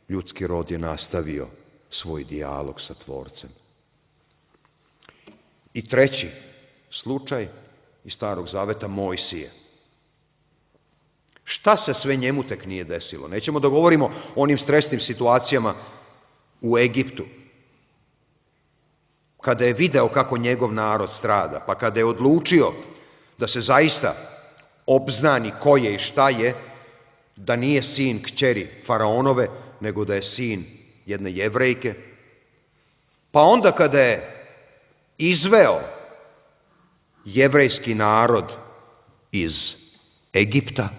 ljudski rod je nastavio svoj dijalog sa Tvorcem. I treći slučaj iz Starog Zaveta, Mojsije. Šta se sve njemu tek nije desilo? Nećemo da govorimo o onim stresnim situacijama u Egiptu, kada je video kako njegov narod strada, pa kada je odlučio da se zaista obznani ko je i šta je, da nije sin kćeri faraonove, nego da je sin jedne Jevrejke. Pa onda kada je izveo jevrejski narod iz Egipta,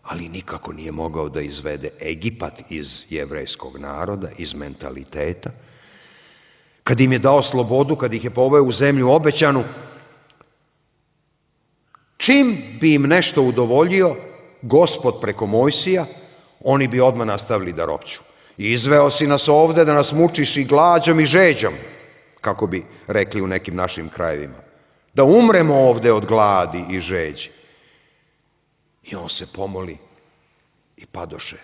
ali nikako nije mogao da izvede Egipat iz jevrejskog naroda, iz mentaliteta. Kad im je dao slobodu, kad ih je poveo u zemlju obećanu, čim bi im nešto udovoljio Gospod preko Mojsija, oni bi odmah nastavili da ropću. Izveo si nas ovde da nas mučiš i glađom i žeđom, kako bi rekli u nekim našim krajevima. Da umremo ovde od gladi i žeđi. I on se pomoli i padoše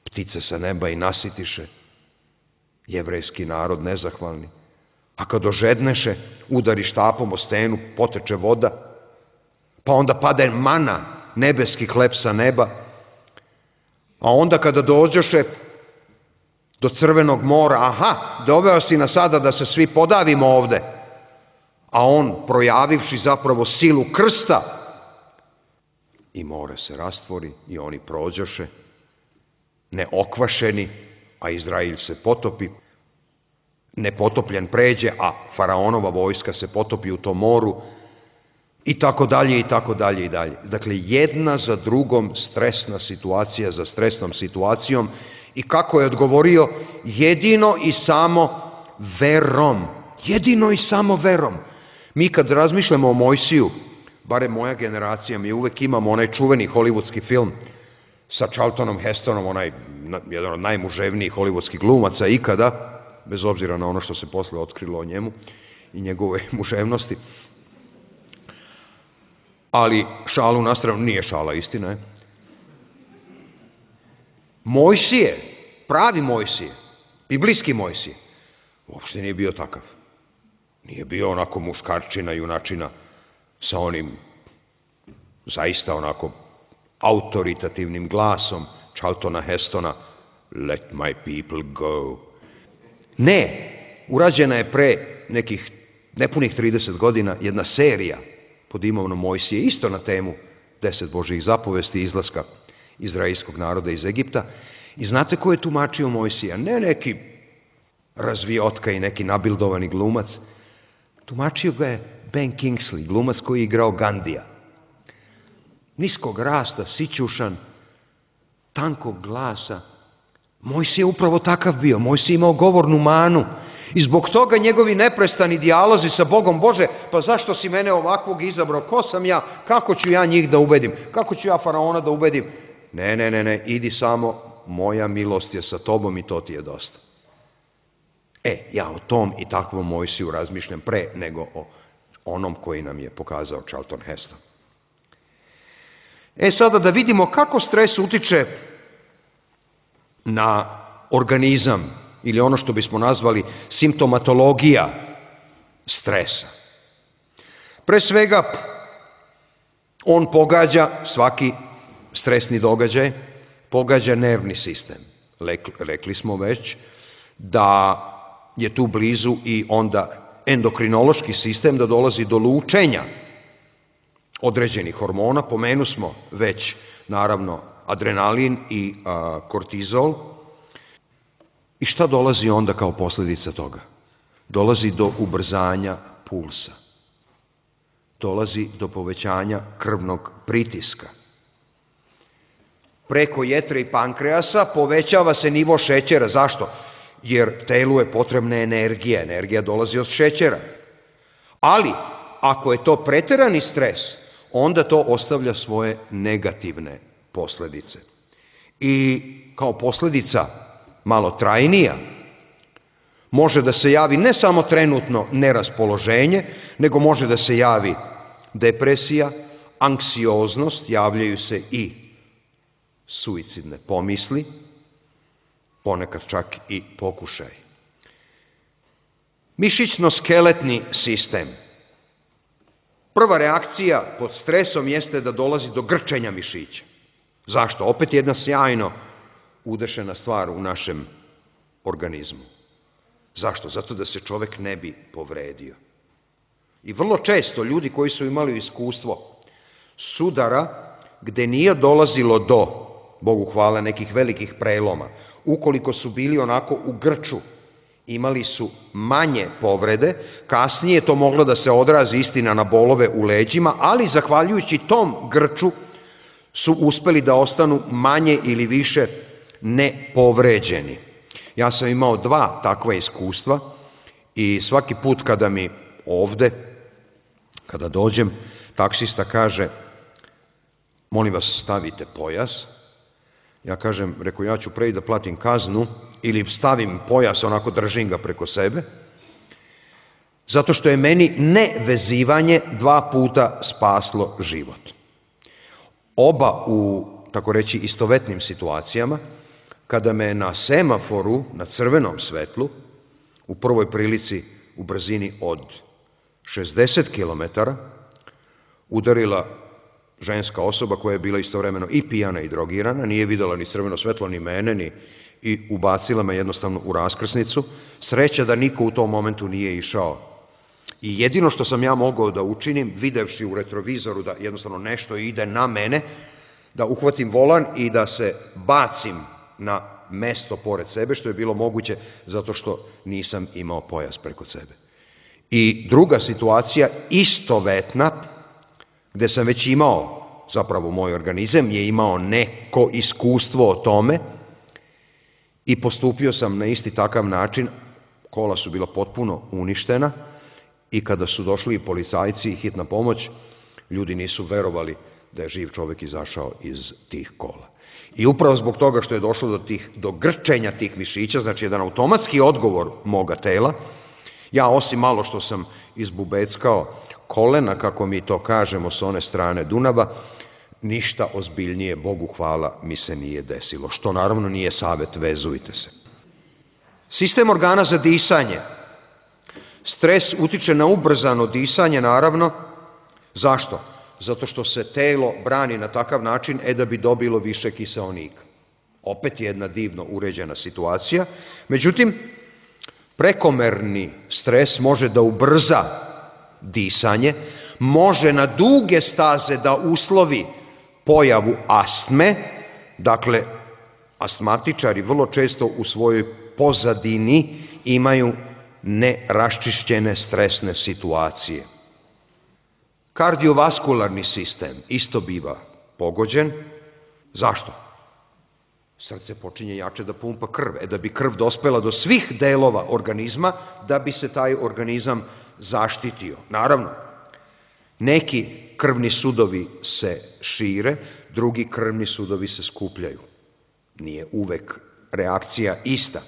ptice sa neba i nasitiše jevrejski narod nezahvalni. A kad ožedneše, udari štapom o stenu, poteče voda, pa onda pade mana, nebeski hleb sa neba, a onda kada dođoše do Crvenog mora, aha, doveo si nas sada da se svi podavimo ovde, a on, projavivši zapravo silu krsta, i more se rastvori i oni prođoše, neokvašeni, a Izrael se potopi, nepotopljen pređe, a faraonova vojska se potopi u tom moru, i tako dalje, i tako dalje, i dalje. Dakle, jedna za drugom stresna situacija za stresnom situacijom, i kako je odgovorio, jedino i samo verom. Jedino i samo verom. Mi kad razmišljamo o Mojsiju, barem moja generacija, mi uvek imamo onaj čuveni hollywoodski film sa Charltonom Hestonom, jedan od najmuževnijih hollywoodskih glumaca ikada, bez obzira na ono što se posle otkrilo o njemu i njegove muževnosti. Ali šalu na stranu, nije šala, istina je. Mojsije, pravi Mojsije, biblijski Mojsije, uopšte nije bio takav. Nije bio onako muškarčina, junačina, sa onim zaista onako autoritativnim glasom Charltona Hestona, Let my people go. Ne, urađena je pre nekih nepunih 30 godina jedna serija pod imenom Mojsije, isto na temu 10 Božjih zapovesti izlaska izraelskog naroda iz Egipta. I znate ko je tumačio Mojsija? Ne neki razviotka i neki nabildovani glumac. Tumačio ga je Ben Kingsley, glumac koji je igrao Gandija. Niskog rasta, sićušan, tankog glasa. Mojsije je upravo takav bio. Mojsije je imao govornu manu. I zbog toga njegovi neprestani dijalozi sa Bogom: Bože, pa zašto si mene ovakvog izabrao? Ko sam ja? Kako ću ja njih da ubedim? Kako ću ja faraona da ubedim? Ne, idi samo, moja milost je sa tobom i to ti je dosta. Ja o tom i takvom Mojsiju razmišljam pre nego o onom koji nam je pokazao Charlton Heston. Sada da vidimo kako stres utiče na organizam, ili ono što bismo nazvali simptomatologija stresa. Pre svega, on pogađa, svaki stresni događaj, pogađa nervni sistem. Rekli smo već da je tu blizu i onda endokrinološki sistem, da dolazi do lučenja određenih hormona. Pomenu smo već, naravno, adrenalin i kortizol. I šta dolazi onda kao posljedica toga? Dolazi do ubrzanja pulsa. Dolazi do povećanja krvnog pritiska. Preko jetre i pankreasa povećava se nivo šećera. Zašto? Jer telu je potrebna energija. Energija dolazi od šećera. Ali, ako je to preterani stres, onda to ostavlja svoje negativne posljedice. I kao posljedica malo trajnija, može da se javi ne samo trenutno neraspoloženje, nego može da se javi depresija, anksioznost, javljaju se i suicidne pomisli, ponekad čak i pokušaj. Mišićno-skeletni sistem. Prva reakcija pod stresom jeste da dolazi do grčenja mišića. Zašto? Opet jedna sjajno udešena stvar u našem organizmu. Zašto? Zato da se čovek ne bi povredio. I vrlo često ljudi koji su imali iskustvo sudara gde nije dolazilo do, Bogu hvala, nekih velikih preloma, ukoliko su bili onako u grču, imali su manje povrede, kasnije to moglo da se odrazi, istina, na bolove u leđima, ali zahvaljujući tom grču su uspeli da ostanu manje ili više nepovređeni. Ja sam imao 2 takva iskustva i svaki put kada mi ovde, kada dođem, taksista kaže: molim vas, stavite pojas. Ja kažem, reko, ja ću pre da platim kaznu ili stavim pojas, onako držim ga preko sebe, zato što je meni nevezivanje 2 puta spaslo život. Oba u, tako reći, istovetnim situacijama, kada me na semaforu, na crvenom svetlu, u prvoj prilici u brzini od 60 km, udarila ženska osoba koja je bila istovremeno i pijana i drogirana, nije videla ni crveno svetlo, ni mene, i ubacila me jednostavno u raskrsnicu. Sreća da niko u tom momentu nije išao. I jedino što sam ja mogao da učinim, videvši u retrovizoru da jednostavno nešto ide na mene, da uhvatim volan i da se bacim na mesto pored sebe, što je bilo moguće zato što nisam imao pojas preko sebe. I druga situacija, istovetna, gde sam već imao, zapravo moj organizam je imao neko iskustvo o tome i postupio sam na isti takav način. Kola su bila potpuno uništena i kada su došli policajci i hitna pomoć, ljudi nisu verovali da je živ čovek izašao iz tih kola. I upravo zbog toga što je došlo do grčenja tih mišića, znači jedan automatski odgovor moga tela, ja osim malo što sam izbubeckao kolena, kako mi to kažemo s one strane Dunava, ništa ozbiljnije, Bogu hvala, mi se nije desilo. Što naravno nije savet, vezujte se. Sistem organa za disanje. Stres utiče na ubrzano disanje, naravno. Zašto? Zato što se telo brani na takav način da bi dobilo više kiseonika. Opet jedna divno uređena situacija. Međutim, prekomerni stres može da ubrza disanje, može na duge staze da uslovi pojavu astme. Dakle, astmatičari vrlo često u svojoj pozadini imaju neraščišćene stresne situacije. Kardiovaskularni sistem isto biva pogođen. Zašto? Srce počinje jače da pumpa krv. Da bi krv dospela do svih delova organizma, da bi se taj organizam zaštitio. Naravno, neki krvni sudovi se šire, drugi krvni sudovi se skupljaju. Nije uvek reakcija ista.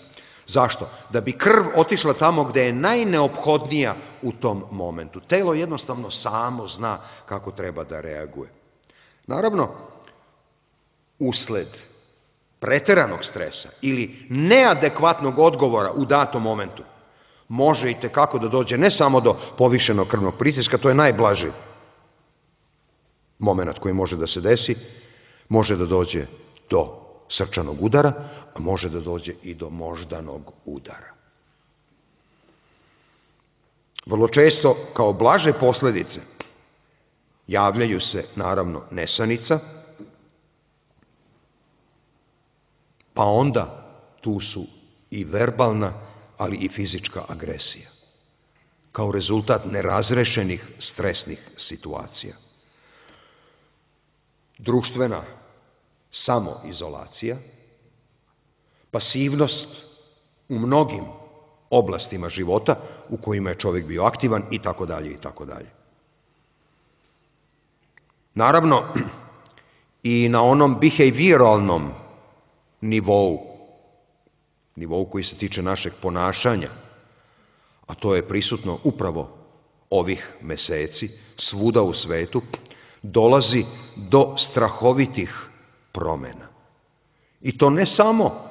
Zašto? Da bi krv otišla tamo gde je najneophodnija u tom momentu. Telo jednostavno samo zna kako treba da reaguje. Naravno, usled preteranog stresa ili neadekvatnog odgovora u datom momentu može i tekako da dođe ne samo do povišenog krvnog pritiska, to je najblaži moment koji može da se desi, može da dođe do srčanog udara, a može da dođe i do moždanog udara. Vrlo često, kao blaže posledice, javljaju se, naravno, nesanica, pa onda tu su i verbalna, ali i fizička agresija, kao rezultat nerazrešenih stresnih situacija. Društvena samoizolacija, pasivnost u mnogim oblastima života u kojima je čovjek bio aktivan i tako dalje i tako dalje. Naravno, i na onom behavioralnom nivou koji se tiče našeg ponašanja, a to je prisutno upravo ovih meseci, svuda u svetu, dolazi do strahovitih promena. I to ne samo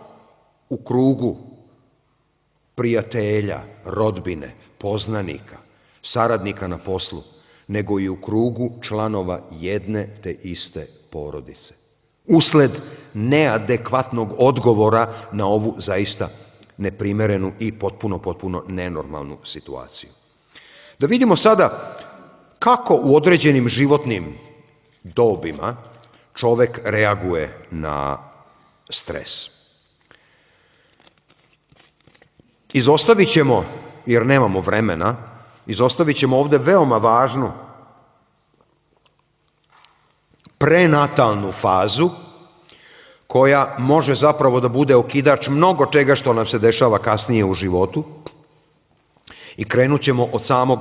u krugu prijatelja, rodbine, poznanika, saradnika na poslu, nego i u krugu članova jedne te iste porodice. Usled neadekvatnog odgovora na ovu zaista neprimerenu i potpuno nenormalnu situaciju. Da vidimo sada kako u određenim životnim dobima čovek reaguje na stres. Izostavit ćemo, jer nemamo vremena, izostavit ćemo ovde veoma važnu prenatalnu fazu, koja može zapravo da bude okidač mnogo čega što nam se dešava kasnije u životu, i krenut ćemo od samog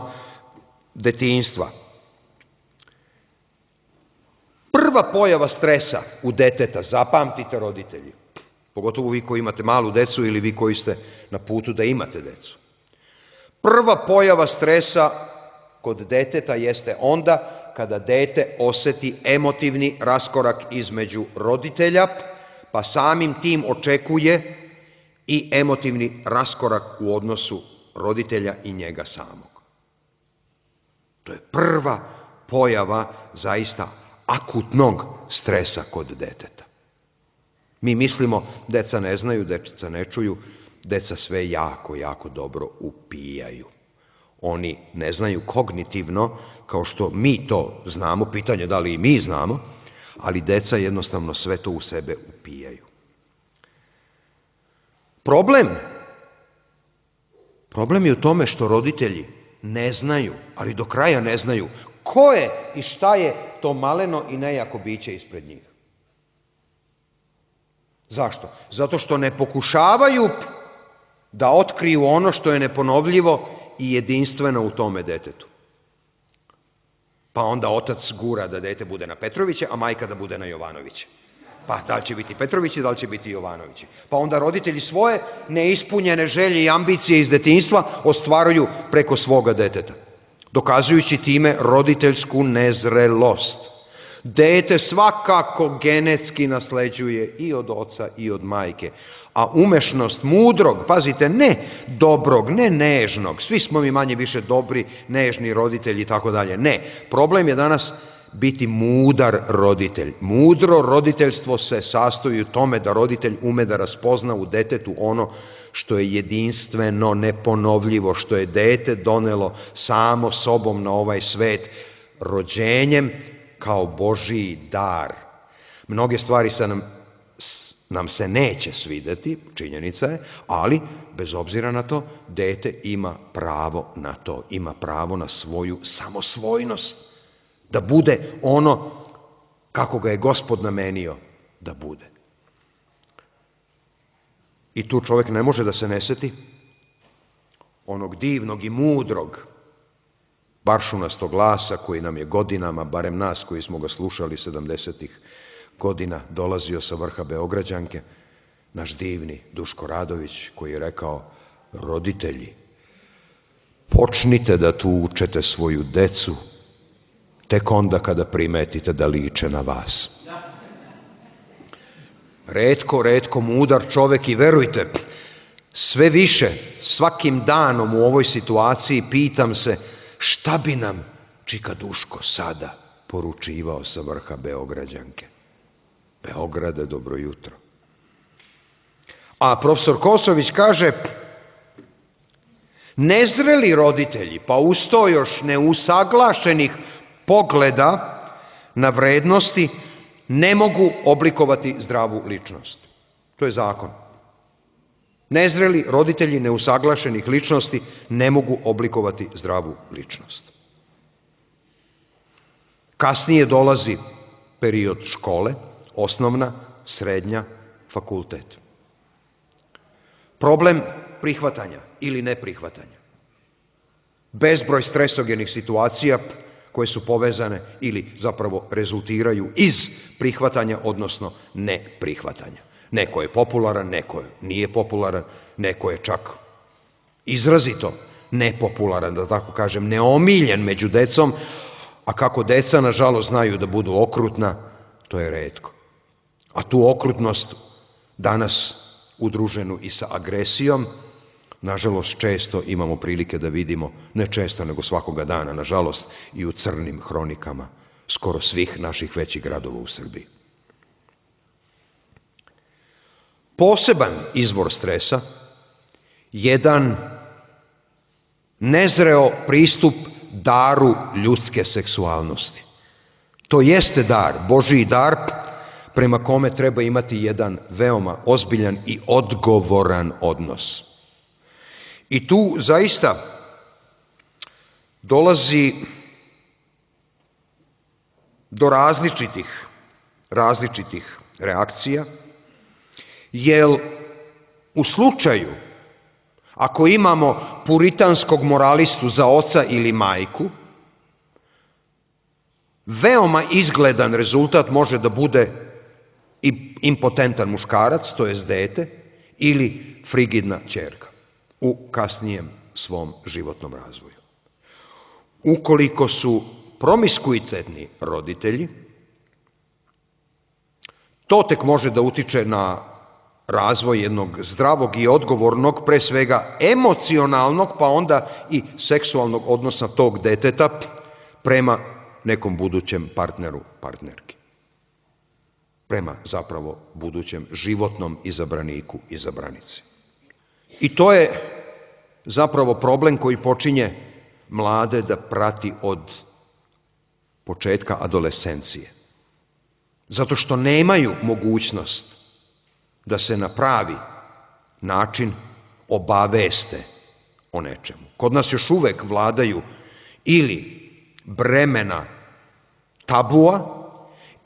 detinjstva. Prva pojava stresa u deteta, zapamtite roditelji, pogotovo vi koji imate malu decu ili vi koji ste na putu da imate decu. Prva pojava stresa kod deteta jeste onda kada dete oseti emotivni raskorak između roditelja, pa samim tim očekuje i emotivni raskorak u odnosu roditelja i njega samog. To je prva pojava zaista akutnog stresa kod deteta. Mi mislimo, deca ne znaju, deca ne čuju, deca sve jako dobro upijaju. Oni ne znaju kognitivno, kao što mi to znamo, pitanje da li i mi znamo, ali deca jednostavno sve to u sebe upijaju. Problem je u tome što roditelji ne znaju, ali do kraja ne znaju, ko je i šta je to maleno i nejako biće ispred njih. Zašto? Zato što ne pokušavaju da otkriju ono što je neponovljivo i jedinstveno u tome detetu. Pa onda otac gura da dete bude na Petrovića, a majka da bude na Jovanovića. Pa da li će biti Petrovići, da li će biti Jovanovići. Pa onda roditelji svoje neispunjene želje i ambicije iz detinjstva ostvaruju preko svoga deteta, dokazujući time roditeljsku nezrelost. Dete svakako genetski nasleđuje i od oca i od majke, a umešnost mudrog, pazite, ne dobrog, ne nežnog, svi smo mi manje više dobri, nežni roditelji i tako dalje. Ne, problem je danas biti mudar roditelj. Mudro roditeljstvo se sastoji u tome da roditelj ume da raspozna u detetu ono što je jedinstveno, neponovljivo, što je dete donelo samo sobom na ovaj svet, rođenjem kao Božiji dar. Mnoge stvari nam se neće svideti, činjenica je, ali bez obzira na to, dete ima pravo na to, ima pravo na svoju samosvojnost, da bude ono kako ga je Gospod namenio da bude. I tu čovjek ne može da se ne seti onog divnog i mudrog baršunastog glasa koji nam je godinama, barem nas koji smo ga slušali 70-ih godina, dolazio sa vrha Beograđanke, naš divni Duško Radović, koji je rekao: roditelji, počnite da tučete svoju decu tek onda kada primetite da liče na vas. Retko mudar čovek, i verujte, sve više, svakim danom u ovoj situaciji pitam se šta bi nam čika Duško sada poručivao sa vrha Beograđanke. Beograde, dobro jutro. A profesor Kosović kaže: nezreli roditelji, pa uz to još neusaglašenih pogleda na vrednosti, ne mogu oblikovati zdravu ličnost. To je zakon. Nezreli roditelji neusaglašenih ličnosti ne mogu oblikovati zdravu ličnost. Kasnije dolazi period škole, osnovna, srednja, fakultet. Problem prihvatanja ili neprihvatanja. Bezbroj stresogenih situacija koje su povezane ili zapravo rezultiraju iz prihvatanja, odnosno neprihvatanja. Neko je popularan, neko nije popularan, neko je čak izrazito nepopularan, da tako kažem, neomiljen među decom, a kako deca, nažalost, znaju da budu okrutna, to je retko. A tu okrutnost danas udruženu i sa agresijom, nažalost, često imamo prilike da vidimo, ne često, nego svakoga dana, nažalost, i u crnim hronikama skoro svih naših većih gradova u Srbiji. Poseban izvor stresa, jedan nezreo pristup daru ljudske seksualnosti. To jeste dar, Božiji dar, prema kome treba imati jedan veoma ozbiljan i odgovoran odnos. I tu zaista dolazi do različitih reakcija, jer u slučaju ako imamo puritanskog moralistu za oca ili majku, veoma izgledan rezultat može da bude i impotentan muškarac, to jest dete, ili frigidna ćerka u kasnijem svom životnom razvoju. Ukoliko su promiskuitetni roditelji, to tek može da utiče na razvoj jednog zdravog i odgovornog, pre svega emocionalnog, pa onda i seksualnog odnosa tog deteta prema nekom budućem partneru, partnerki. Prema zapravo budućem životnom izabraniku, izabranici. I to je zapravo problem koji počinje mlade da prati od početka adolescencije. Zato što nemaju mogućnost da se na pravi način obaveste o nečemu. Kod nas još uvek vladaju ili bremena tabua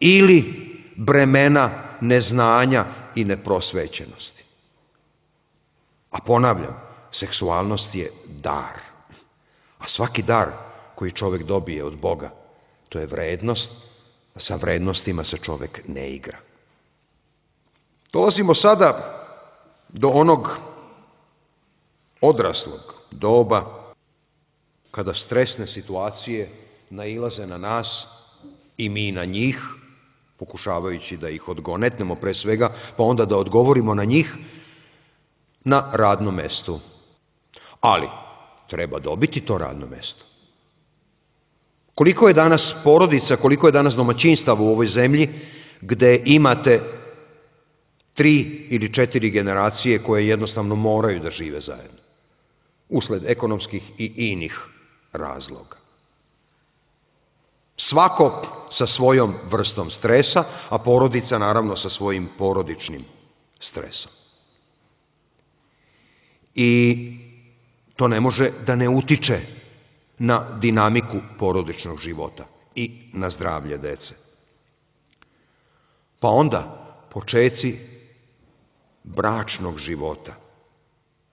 ili bremena neznanja i neprosvećenosti. A ponavljam, seksualnost je dar. A svaki dar koji čovek dobije od Boga, to je vrednost, a sa vrednostima se čovek ne igra. Dolazimo sada do onog odraslog doba kada stresne situacije nailaze na nas i mi na njih, pokušavajući da ih odgonetnemo pre svega, pa onda da odgovorimo na njih na radnom mestu. Ali treba dobiti to radno mesto. Koliko je danas porodica, koliko je danas domaćinstava u ovoj zemlji gde imate 3 ili 4 generacije koje jednostavno moraju da žive zajedno, usled ekonomskih i inih razloga. Svako sa svojom vrstom stresa, a porodica naravno sa svojim porodičnim stresom. I to ne može da ne utiče na dinamiku porodičnog života i na zdravlje dece. Pa onda počeci bračnog života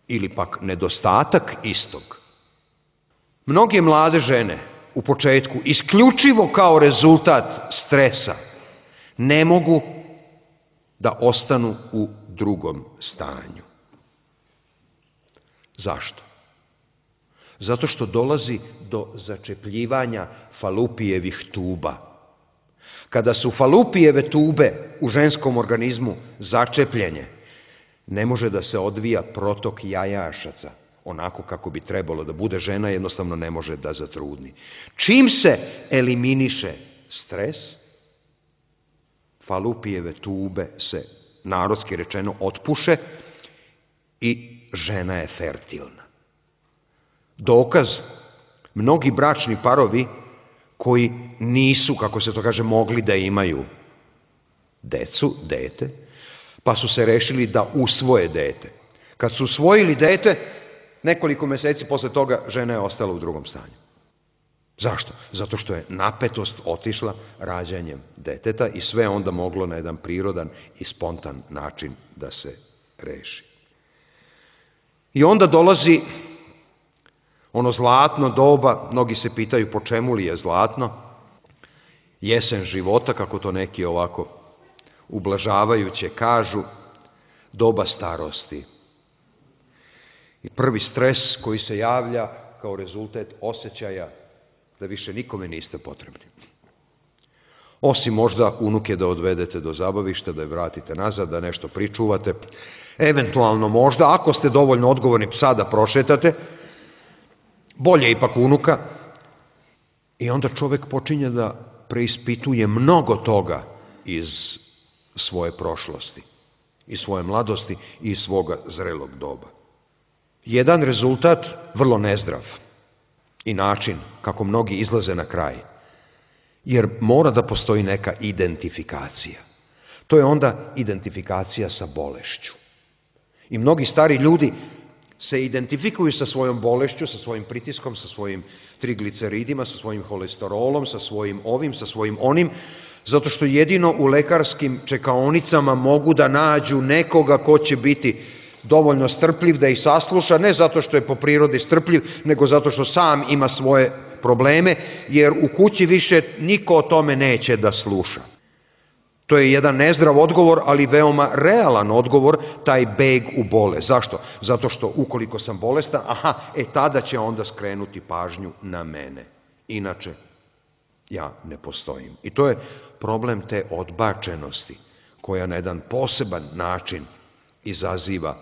ili pak nedostatak istog. Mnoge mlade žene u početku, isključivo kao rezultat stresa, ne mogu da ostanu u drugom stanju. Zašto? Zato što dolazi do začepljivanja falupijevih tuba. Kada su falupijeve tube u ženskom organizmu začepljene, ne može da se odvija protok jajašaca onako kako bi trebalo da bude. Žena jednostavno ne može da zatrudni. Čim se eliminiše stres, falupijeve tube se, narodski rečeno, otpuše i žena je fertilna. Dokaz, mnogi bračni parovi koji nisu, kako se to kaže, mogli da imaju dete, pa su se rešili da usvoje dete. Kad su usvojili dete, nekoliko meseci posle toga žena je ostala u drugom stanju. Zašto? Zato što je napetost otišla rađanjem deteta i sve onda moglo na jedan prirodan i spontan način da se reši. I onda dolazi ono zlatno doba, mnogi se pitaju po čemu li je zlatno, jesen života, kako to neki ovako ublažavajuće kažu, doba starosti. I prvi stres koji se javlja kao rezultat osjećaja da više nikome niste potrebni. Osim možda unuke da odvedete do zabavišta, da je vratite nazad, da nešto pričuvate, eventualno možda, ako ste dovoljno odgovorni, psa da prošetate, bolje ipak unuka. I onda čovek počinje da preispituje mnogo toga iz svoje prošlosti, iz svoje mladosti i iz svoga zrelog doba. Jedan rezultat vrlo nezdrav i način kako mnogi izlaze na kraj, jer mora da postoji neka identifikacija. To je onda identifikacija sa bolešću. I mnogi stari ljudi se identifikuju sa svojom bolešću, sa svojim pritiskom, sa svojim trigliceridima, sa svojim holesterolom, sa svojim ovim, sa svojim onim, zato što jedino u lekarskim čekaonicama mogu da nađu nekoga ko će biti dovoljno strpljiv da ih sasluša, ne zato što je po prirodi strpljiv, nego zato što sam ima svoje probleme, jer u kući više niko o tome neće da sluša. To je jedan nezdrav odgovor, ali veoma realan odgovor, taj beg u bolest. Zašto? Zato što ukoliko sam bolestan, tada će onda skrenuti pažnju na mene. Inače, ja ne postojim. I to je problem te odbačenosti, koja na jedan poseban način izaziva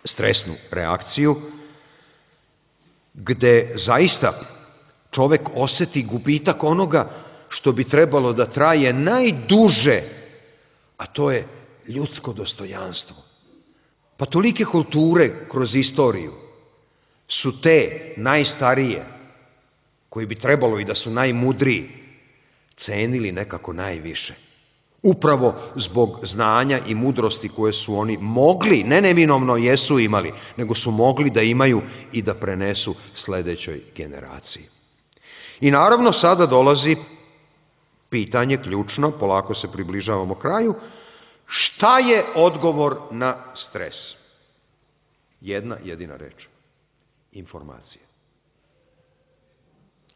stresnu reakciju, gde zaista čovek oseti gubitak onoga što bi trebalo da traje najduže, a to je ljudsko dostojanstvo. Pa tolike kulture kroz istoriju su te najstarije, koji bi trebalo i da su najmudriji, cenili nekako najviše. Upravo zbog znanja i mudrosti koje su oni mogli, ne neminovno jesu imali, nego su mogli da imaju i da prenesu sledećoj generaciji. I naravno sada dolazi pitanje ključno, polako se približavamo kraju, šta je odgovor na stres? Jedna jedina reč. Informacija.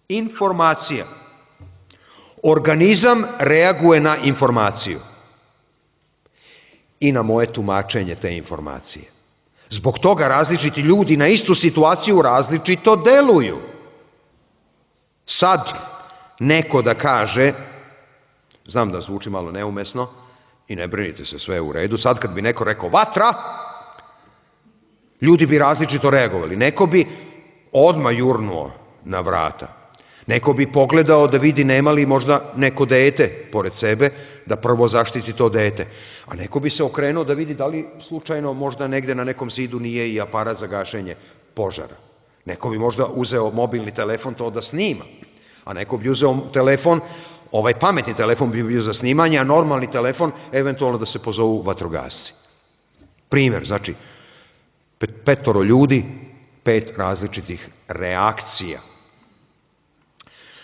Informacija. Organizam reaguje na informaciju i na moje tumačenje te informacije. Zbog toga različiti ljudi na istu situaciju različito deluju. Sad neko da kaže, znam da zvuči malo neumesno i ne brinite se, sve je u redu, sad kad bi neko rekao vatra, ljudi bi različito reagovali. Neko bi odmah jurnuo na vrata. Neko bi pogledao da vidi nema li možda neko dete pored sebe, da prvo zaštiti to dete. A neko bi se okrenuo da vidi da li slučajno možda negde na nekom zidu nije i aparat za gašenje požara. Neko bi možda uzeo mobilni telefon to da snima. A neko bi uzeo telefon, ovaj pametni telefon bi bio za snimanje, a normalni telefon eventualno da se pozovu vatrogasci. Primjer, znači, 5 ljudi, 5 različitih reakcija.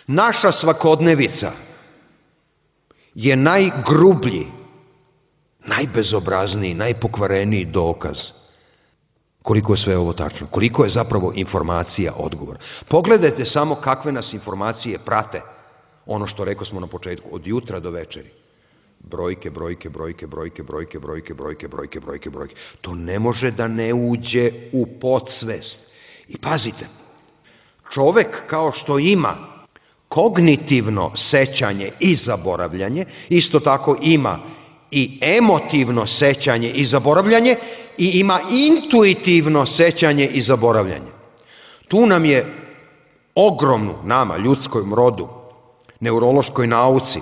Naša svakodnevica je najgrublji, najbezobrazniji, najpokvareniji dokaz koliko je sve ovo tačno, koliko je zapravo informacija odgovor. Pogledajte samo kakve nas informacije prate, ono što rekao smo na početku, od jutra do večeri. Brojke, brojke, brojke, brojke, brojke, brojke, brojke, brojke, brojke, brojke. To ne može da ne uđe u podsvest. I pazite, čovek kao što ima kognitivno sećanje i zaboravljanje, isto tako ima i emotivno sećanje i zaboravljanje i ima intuitivno sećanje i zaboravljanje. Tu nam je ogromnu, nama, ljudskom rodu, neurološkoj nauci,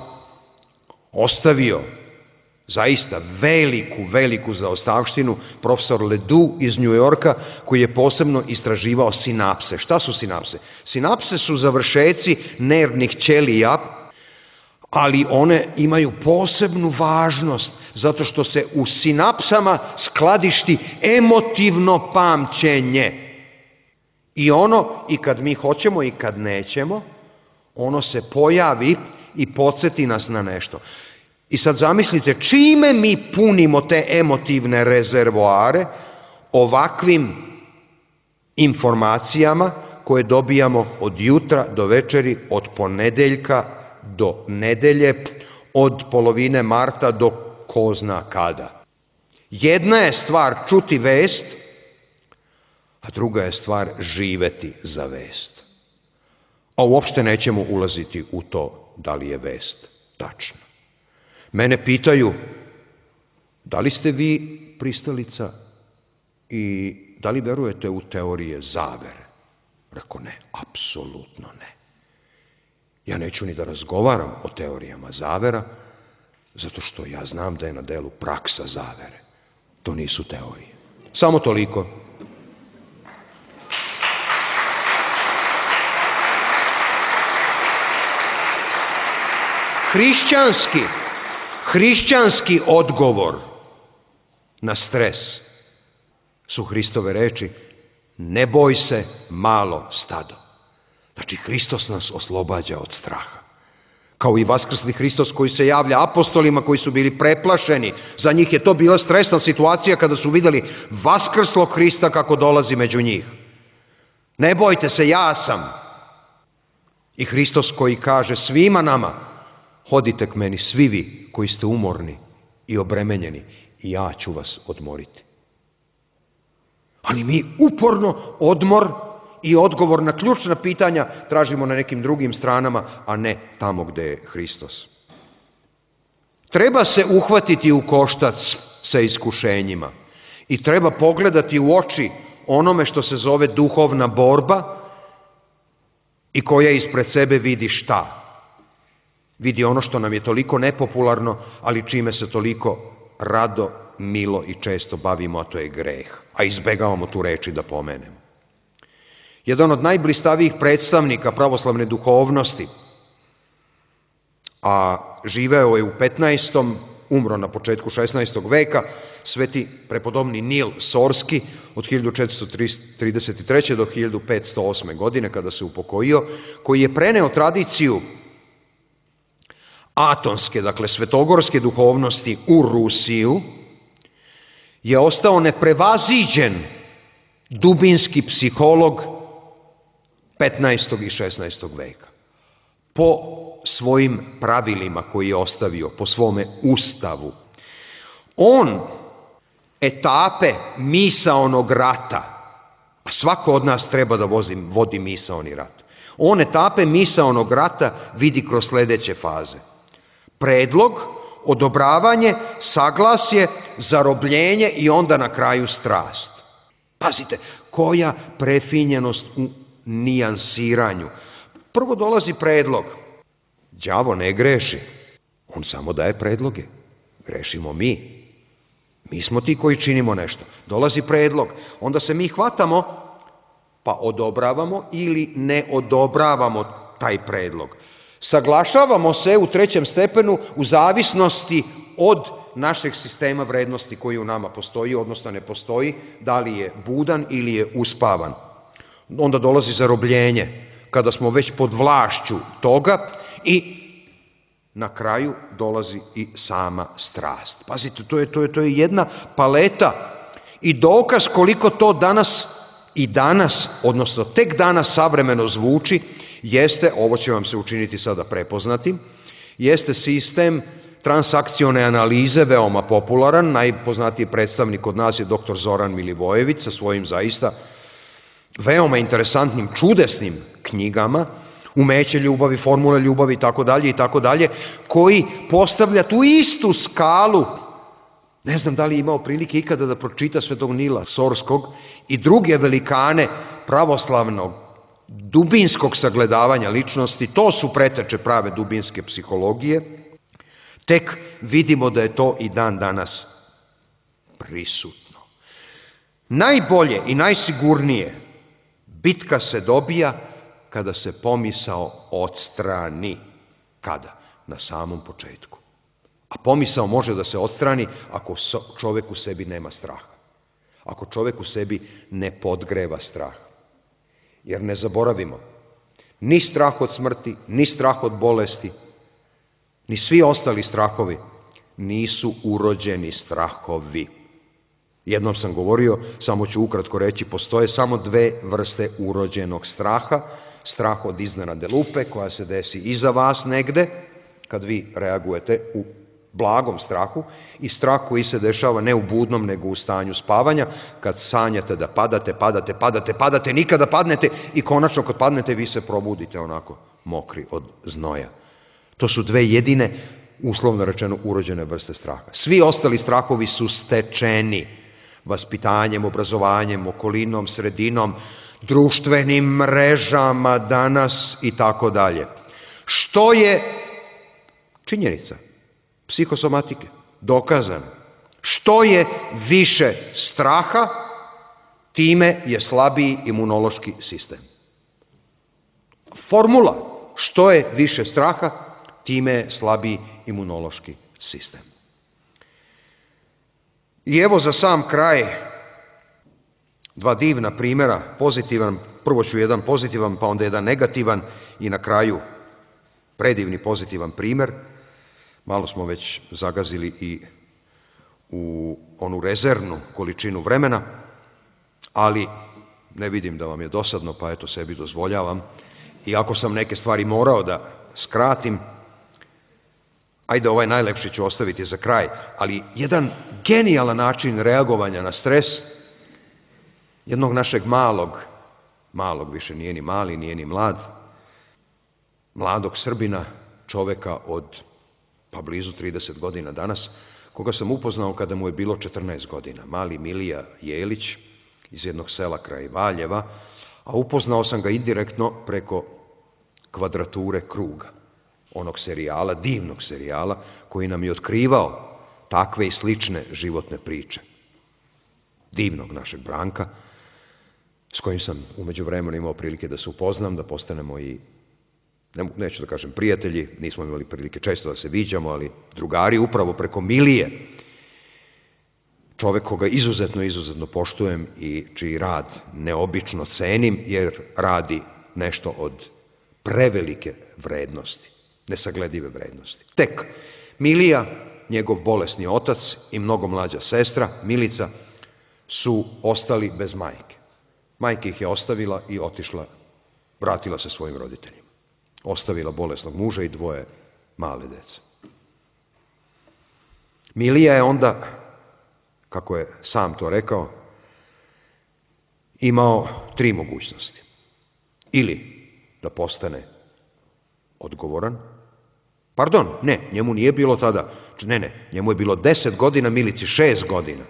ostavio zaista veliku zaostavštinu profesor Ledoux iz New Yorka, koji je posebno istraživao sinapse. Šta su sinapse? Sinapse su završeci nervnih ćelija, ali one imaju posebnu važnost, zato što se u sinapsama skladišti emotivno pamćenje. I kad mi hoćemo i kad nećemo, ono se pojavi i podsjeti nas na nešto. I sad zamislite, čime mi punimo te emotivne rezervoare ovakvim informacijama koje dobijamo od jutra do večeri, od ponedeljka do nedelje, od polovine marta do ko zna kada. Jedna je stvar čuti vest, a druga je stvar živeti za vest. A uopšte nećemo ulaziti u to da li je vest tačna. Mene pitaju, da li ste vi pristalica i da li verujete u teorije zavere? Rekao ne, apsolutno ne. Ja neću ni da razgovaram o teorijama zavera, zato što ja znam da je na delu praksa zavere. To nisu teorije. Samo toliko. Hrišćanski odgovor na stres su Hristove reči: ne boj se, malo stado. Znači, Hristos nas oslobađa od straha. Kao i vaskrsli Hristos koji se javlja apostolima koji su bili preplašeni. Za njih je to bila stresna situacija kada su vidjeli vaskrslog Hrista kako dolazi među njih. Ne bojte se, ja sam. I Hristos koji kaže svima nama: hodite k meni svi vi koji ste umorni i obremenjeni i ja ću vas odmoriti. Ali mi uporno odmor i odgovor na ključna pitanja tražimo na nekim drugim stranama, a ne tamo gde je Hristos. Treba se uhvatiti u koštac sa iskušenjima i treba pogledati u oči onome što se zove duhovna borba i koja ispred sebe vidi šta? Vidi ono što nam je toliko nepopularno, ali čime se toliko rado, milo i često bavimo, a to je greh. A izbegavamo tu reči da pomenemo. Jedan od najblistavijih predstavnika pravoslavne duhovnosti, a živeo je u 15. umro na početku 16. veka, sveti prepodobni Nil Sorski od 1433. do 1508. godine kada se upokojio, koji je preneo tradiciju atonske, dakle svetogorske duhovnosti u Rusiju, je ostao neprevaziđen dubinski psiholog 15. i 16. veka. Po svojim pravilima koji je ostavio, po svome ustavu. On etape misaonog rata, a svako od nas treba da vodi misaoni rat. On etape misaonog rata vidi kroz sledeće faze: predlog, odobravanje, saglasje, zarobljenje i onda na kraju strast. Pazite, koja prefinjenost u nijansiranju. Prvo dolazi predlog. Đavo ne greši, on samo daje predloge. Grešimo mi. Mi smo ti koji činimo nešto. Dolazi predlog, onda se mi hvatamo, pa odobravamo ili ne odobravamo taj predlog. Saglašavamo se u trećem stepenu u zavisnosti od našeg sistema vrednosti koji u nama postoji, odnosno ne postoji, da li je budan ili je uspavan. Onda dolazi zarobljenje, kada smo već pod vlašću toga, i na kraju dolazi i sama strast. Pazite, to je jedna paleta i dokaz koliko to danas, odnosno tek danas savremeno zvuči, jeste, ovo će vam se učiniti sada prepoznati, jeste sistem transakcione analize, veoma popularan. Najpoznatiji predstavnik od nas je dr. Zoran Milivojević sa svojim zaista veoma interesantnim, čudesnim knjigama, Umeće ljubavi, Formula ljubavi itd., koji postavlja tu istu skalu. Ne znam da li je imao prilike ikada da pročita Svetog Nila Sorskog i druge velikane pravoslavnog dubinskog sagledavanja ličnosti. To su preteče prave dubinske psihologije. Tek vidimo da je to i dan danas prisutno. Najbolje i najsigurnije bitka se dobija kada se pomisao odstrani. Kada? Na samom početku. A pomisao može da se odstrani ako čovek u sebi nema straha. Ako čovek u sebi ne podgreva strah. Jer ne zaboravimo, ni strah od smrti, ni strah od bolesti, ni svi ostali strahovi nisu urođeni strahovi. Jednom sam govorio, samo ću ukratko reći, postoje samo dve vrste urođenog straha. Strah od iznenadne lupe koja se desi iza vas negde, kad vi reagujete u blagom strahu, i strah koji se dešava ne u budnom, nego u stanju spavanja, kad sanjate da padate, nikada padnete i konačno kad padnete vi se probudite onako mokri od znoja. To su dve jedine, uslovno rečeno, urođene vrste straha. Svi ostali strahovi su stečeni vaspitanjem, obrazovanjem, okolinom, sredinom, društvenim mrežama danas i tako dalje. Što je činjenica psihosomatike, dokazano. Što je više straha, time je slabiji imunološki sistem. Formula, što je više straha, time je slabiji imunološki sistem. I evo za sam kraj dva divna primjera, pozitivan, prvo ću jedan pozitivan, pa onda jedan negativan i na kraju predivni pozitivan primjer. Malo smo već zagazili i u onu rezervnu količinu vremena, ali ne vidim da vam je dosadno, pa eto sebi dozvoljavam. I ako sam neke stvari morao da skratim, ajde ovaj najlepši ću ostaviti za kraj, ali jedan genijalan način reagovanja na stres jednog našeg malog, više nije ni mali, nije ni mlad, mladog Srbina, čoveka od pa blizu 30 godina danas, koga sam upoznao kada mu je bilo 14 godina, mali Milija Jelić iz jednog sela kraj Valjeva, a upoznao sam ga indirektno preko Kvadrature kruga, onog serijala, divnog serijala, koji nam je otkrivao takve i slične životne priče. Divnog našeg Branka, s kojim sam umeđu vremenu imao prilike da se upoznam, da postanemo i, neću da kažem prijatelji, nismo imali prilike često da se viđamo, ali drugari, upravo preko Milije, čovek koga izuzetno poštujem i čiji rad neobično cenim, jer radi nešto od prevelike vrednosti, nesagledive vrednosti. Tek Milija, njegov bolesni otac i mnogo mlađa sestra, Milica, su ostali bez majke. Majka ih je ostavila i otišla, vratila se svojim roditeljima. Ostavila bolesnog muža i dvoje male dece. Milija je onda, kako je sam to rekao, imao 3 mogućnosti. Ili da postane odgovoran, njemu nije bilo tada, njemu je bilo 10 godina, Milici 6 godina.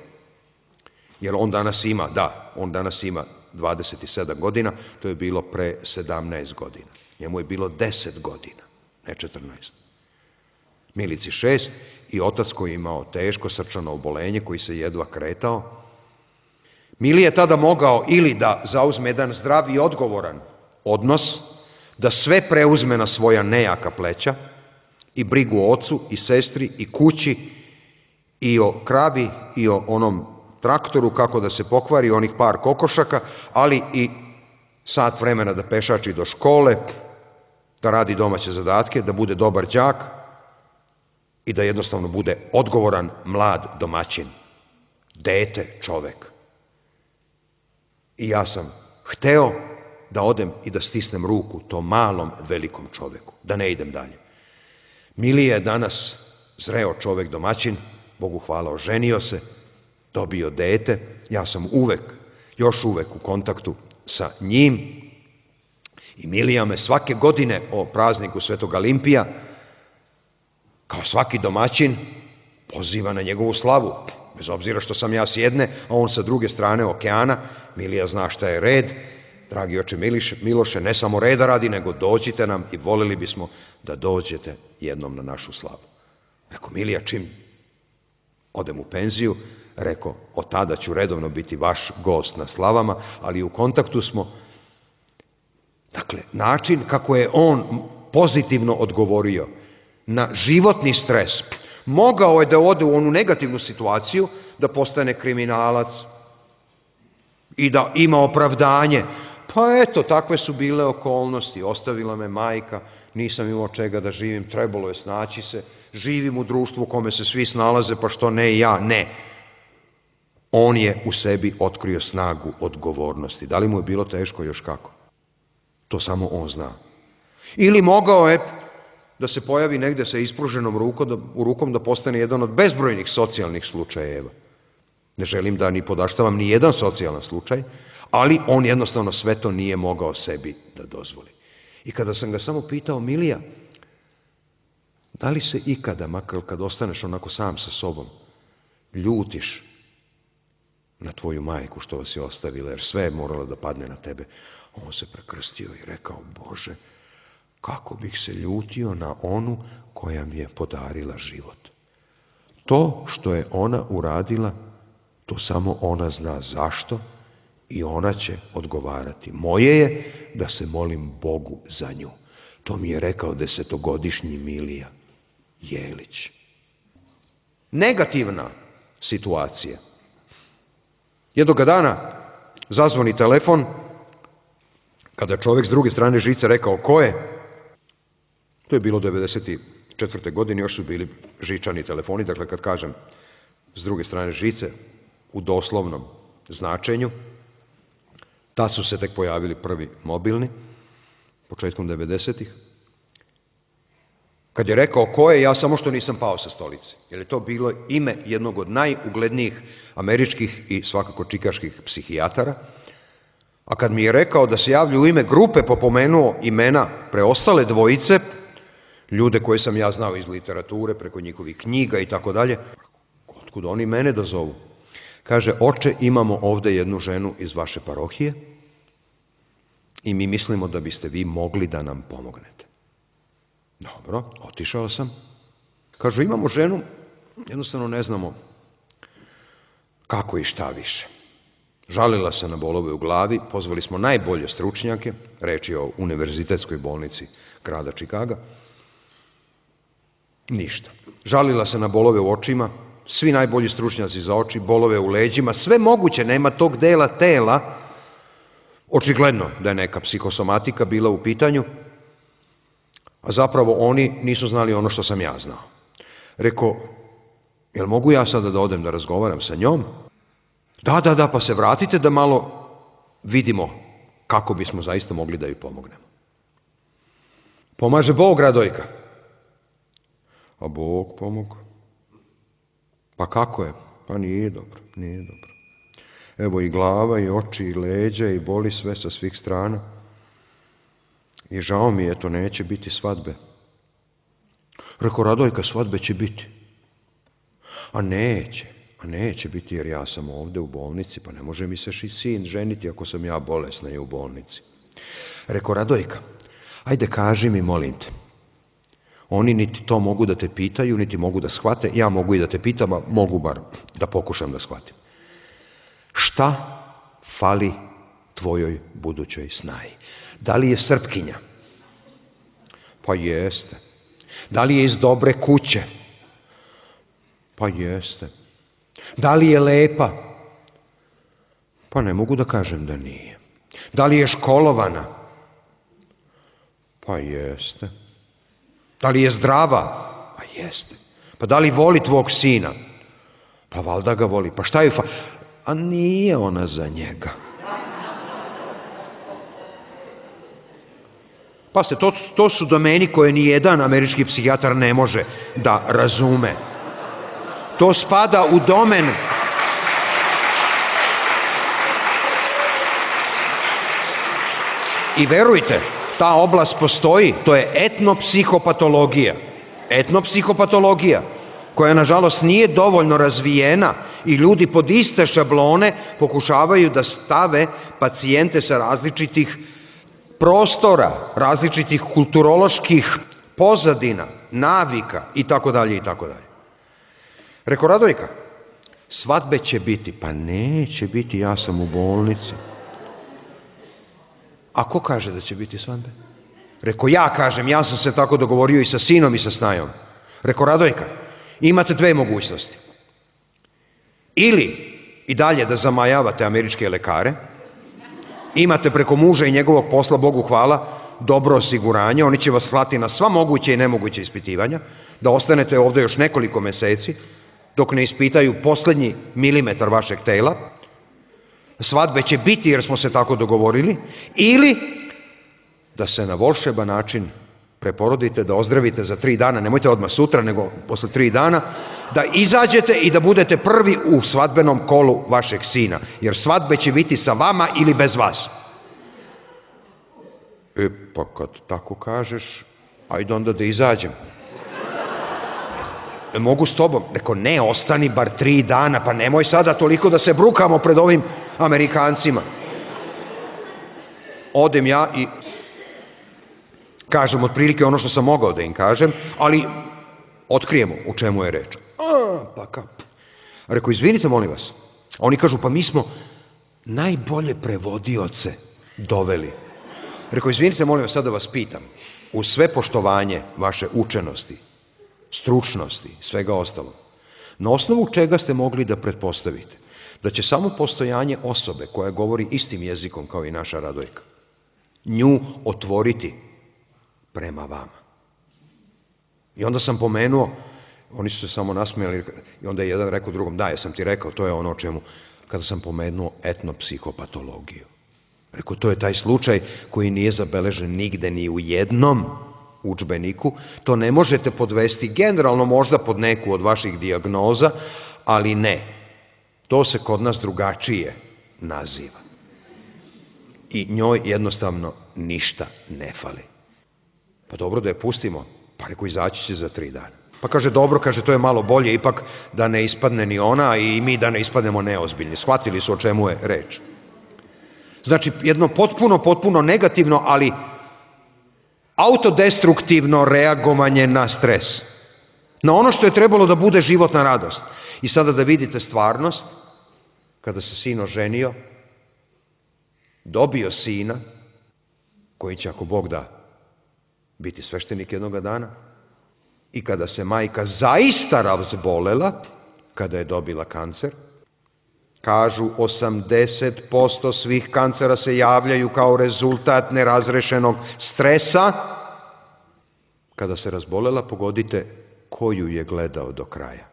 Jer on danas ima 27 godina, to je bilo pre 17 godina. Njemu je bilo 10 godina, ne 14. Milici 6 i otac koji je imao teško srčano obolenje, koji se jedva kretao. Mili je tada mogao ili da zauzme jedan zdrav i odgovoran odnos, da sve preuzme na svoja nejaka pleća i brigu o ocu i sestri i kući i o kravi i o onom traktoru kako da se pokvari, onih par kokošaka, ali i sat vremena da pešači do škole, da radi domaće zadatke, da bude dobar đak i da jednostavno bude odgovoran mlad domaćin, dete, čovek. I ja sam hteo da odem i da stisnem ruku tom malom, velikom čoveku, da ne idem dalje. Milija je danas zreo čovek domaćin, Bogu hvala, oženio se, dobio dete, ja sam još uvek u kontaktu sa njim i Milija me svake godine o prazniku Svetog Alimpija, kao svaki domaćin, poziva na njegovu slavu, bez obzira što sam ja s jedne, a on sa druge strane okeana. Milija zna šta je red. Dragi oče Miloše, ne samo reda radi, nego dođite nam i voleli bismo da dođete jednom na našu slavu. Rekao, Milija, čim odem u penziju, rekao, od tada ću redovno biti vaš gost na slavama, ali u kontaktu smo. Dakle, način kako je on pozitivno odgovorio na životni stres, mogao je da ode u onu negativnu situaciju, da postane kriminalac i da ima opravdanje. Pa eto, takve su bile okolnosti, ostavila me majka, nisam imao čega da živim, trebalo je snaći se, živim u društvu u kome se svi snalaze, pa što ne i ja? Ne. On je u sebi otkrio snagu odgovornosti. Da li mu je bilo teško? Još kako. To samo on zna. Ili mogao je da se pojavi negde sa ispruženom rukom da postane jedan od bezbrojnih socijalnih slučajeva. Ne želim da ni podaštavam ni jedan socijalan slučaj, ali on jednostavno sve to nije mogao sebi da dozvoli. I kada sam ga samo pitao, Milija, da li se ikada, makar kad ostaneš onako sam sa sobom, ljutiš na tvoju majku što vas je ostavila, jer sve je moralo da padne na tebe? On se prekrstio i rekao, Bože, kako bih se ljutio na onu koja mi je podarila život. To što je ona uradila, to samo ona zna zašto i ona će odgovarati. Moje je da se molim Bogu za nju. To mi je rekao 10-godišnji Milija Jelić. Negativna situacija. Jednoga dana zazvoni telefon, kada je čovjek s druge strane žice rekao ko je. To je bilo 1994. godine, još su bili žičani telefoni, dakle kad kažem s druge strane žice, u doslovnom značenju. Tad su se tek pojavili prvi mobilni, početkom 90-ih. Kad je rekao ko je, ja samo što nisam pao sa stolice, jer je to bilo ime jednog od najuglednijih američkih i svakako čikaških psihijatara. A kad mi je rekao da se javlja u ime grupe, pomenuo imena preostale dvojice, ljude koje sam ja znao iz literature, preko njihovih knjiga i tako dalje, otkud oni mene da zovu? Kaže, oče, imamo ovde jednu ženu iz vaše parohije i mi mislimo da biste vi mogli da nam pomognete. Dobro, otišao sam. Kažu, imamo ženu, jednostavno ne znamo kako i šta više. Žalila se na bolove u glavi, pozvali smo najbolje stručnjake, reč je o univerzitetskoj bolnici grada Čikaga. Ništa. Žalila se na bolove u očima, svi najbolji stručnjaci za oči, bolove u leđima, sve moguće, nema tog dela tela. Očigledno da je neka psihosomatika bila u pitanju, a zapravo oni nisu znali ono što sam ja znao. Rekao, jel mogu ja sada da odem da razgovaram sa njom? Da, pa se vratite da malo vidimo kako bismo zaista mogli da joj pomognemo. Pomaže Bog, Radojka. A Bog pomogao. Pa kako je? Pa nije dobro. Evo i glava, i oči, i leđa, i boli sve sa svih strana. I žao mi je, to neće biti svadbe. Rekao, Radojka, svadbe će biti. A neće biti jer ja sam ovde u bolnici, pa ne može mi se sin ženiti ako sam ja bolesna i u bolnici. Rekao, Radojka, Ajde, kaži mi, molim te. Oni niti to mogu da te pitaju, niti mogu da shvate. Ja mogu i da te pitam, a mogu bar da pokušam da shvatim. Šta fali tvojoj budućoj snaji? Da li je Srpkinja? Pa jeste. Da li je iz dobre kuće? Pa jeste. Da li je lepa? Pa ne mogu da kažem da nije. Da li je školovana? Pa jeste. Da li je zdrava? Pa jeste. Pa da li voli tvog sina? Pa valjda ga voli. Pa šta je A nije ona za njega. Pa se, to su domeni koje ni jedan američki psihijatar ne može da razume. To spada u domen i verujte, ta oblast postoji, to je etnopsihopatologija. Etnopsihopatologija, koja nažalost nije dovoljno razvijena i ljudi pod iste šablone pokušavaju da stave pacijente sa različitih prostora, različitih kulturoloških pozadina, navika i tako dalje i tako dalje. Reko, Radojka, svadbe će biti. Pa neće biti, ja sam u bolnici. A ko kaže da će biti svadbe? Reko, ja kažem, ja sam se tako dogovorio i sa sinom i sa snajom. Reko, Radojka, imate dve mogućnosti. Ili i dalje da zamajavate američke lekare, imate preko muža i njegovog posla, Bogu hvala, dobro osiguranje, oni će vas slati na sva moguće i nemoguće ispitivanja, da ostanete ovde još nekoliko meseci, dok ne ispitaju poslednji milimetar vašeg tela. Svadbe će biti jer smo se tako dogovorili, ili da se na volšeban način preporodite, da ozdravite za 3 dana, nemojte odmah sutra, nego posle 3 dana, da izađete i da budete prvi u svadbenom kolu vašeg sina, jer svadbe će biti sa vama ili bez vas. Pa kad tako kažeš, ajde onda da izađem. Mogu s tobom? Reko, ne, ostani bar 3 dana, pa nemoj sada toliko da se brukamo pred ovim Amerikancima. Odem ja i kažem otprilike ono što sam mogao da im kažem, ali otkrijemo u čemu je reč. Pa kao. Reko, izvinite, molim vas. Oni kažu, pa mi smo najbolje prevodioce doveli. Reko, izvinite, molim vas, sad da vas pitam. Uz sve poštovanje vaše učenosti, stručnosti, svega ostalo, na osnovu čega ste mogli da pretpostavite da će samo postojanje osobe koja govori istim jezikom kao i naša Radojka nju otvoriti prema vama? I onda sam pomenuo, oni su se samo nasmijali i onda je jedan rekao drugom, da, ja sam ti rekao, to je ono o čemu, kada sam pomenuo etnopsihopatologiju. Rekao, to je taj slučaj koji nije zabeležen nigde ni u jednom udžbeniku, to ne možete podvesti generalno možda pod neku od vaših dijagnoza, ali ne. To se kod nas drugačije naziva. I njoj jednostavno ništa ne fali. Pa dobro da je pustimo, pa reko, izaći će za 3 dana. Pa kaže, dobro, kaže, to je malo bolje, ipak da ne ispadne ni ona i mi da ne ispadnemo neozbiljni. Shvatili su o čemu je reč. Znači, jedno potpuno negativno, ali autodestruktivno reagovanje na stres. Na ono što je trebalo da bude životna radost. I sada da vidite stvarnost, kada se sin oženio, dobio sina, koji će, ako Bog da, biti sveštenik jednoga dana, i kada se majka zaista razbolela, kada je dobila kancer, kažu 80% svih kancera se javljaju kao rezultat nerazrešenog stresa. Kada se razbolela, pogodite koju je gledao do kraja.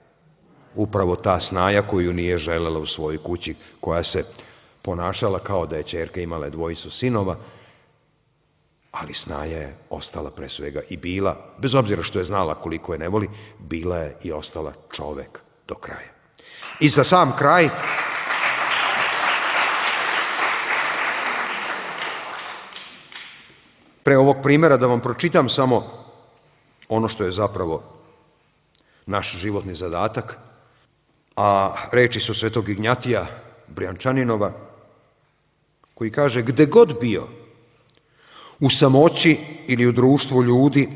Upravo ta snaja koju nije želela u svojoj kući, koja se ponašala kao da je ćerka imala 2 sinova, ali snaja je ostala pre svega i bila, bez obzira što je znala koliko je ne voli, bila je i ostala čovek do kraja. I za sam kraj, pre ovog primjera da vam pročitam samo ono što je zapravo naš životni zadatak, a reči su svetog Ignjatija Brijančaninova, koji kaže, gde god bio, U samoći ili u društvu ljudi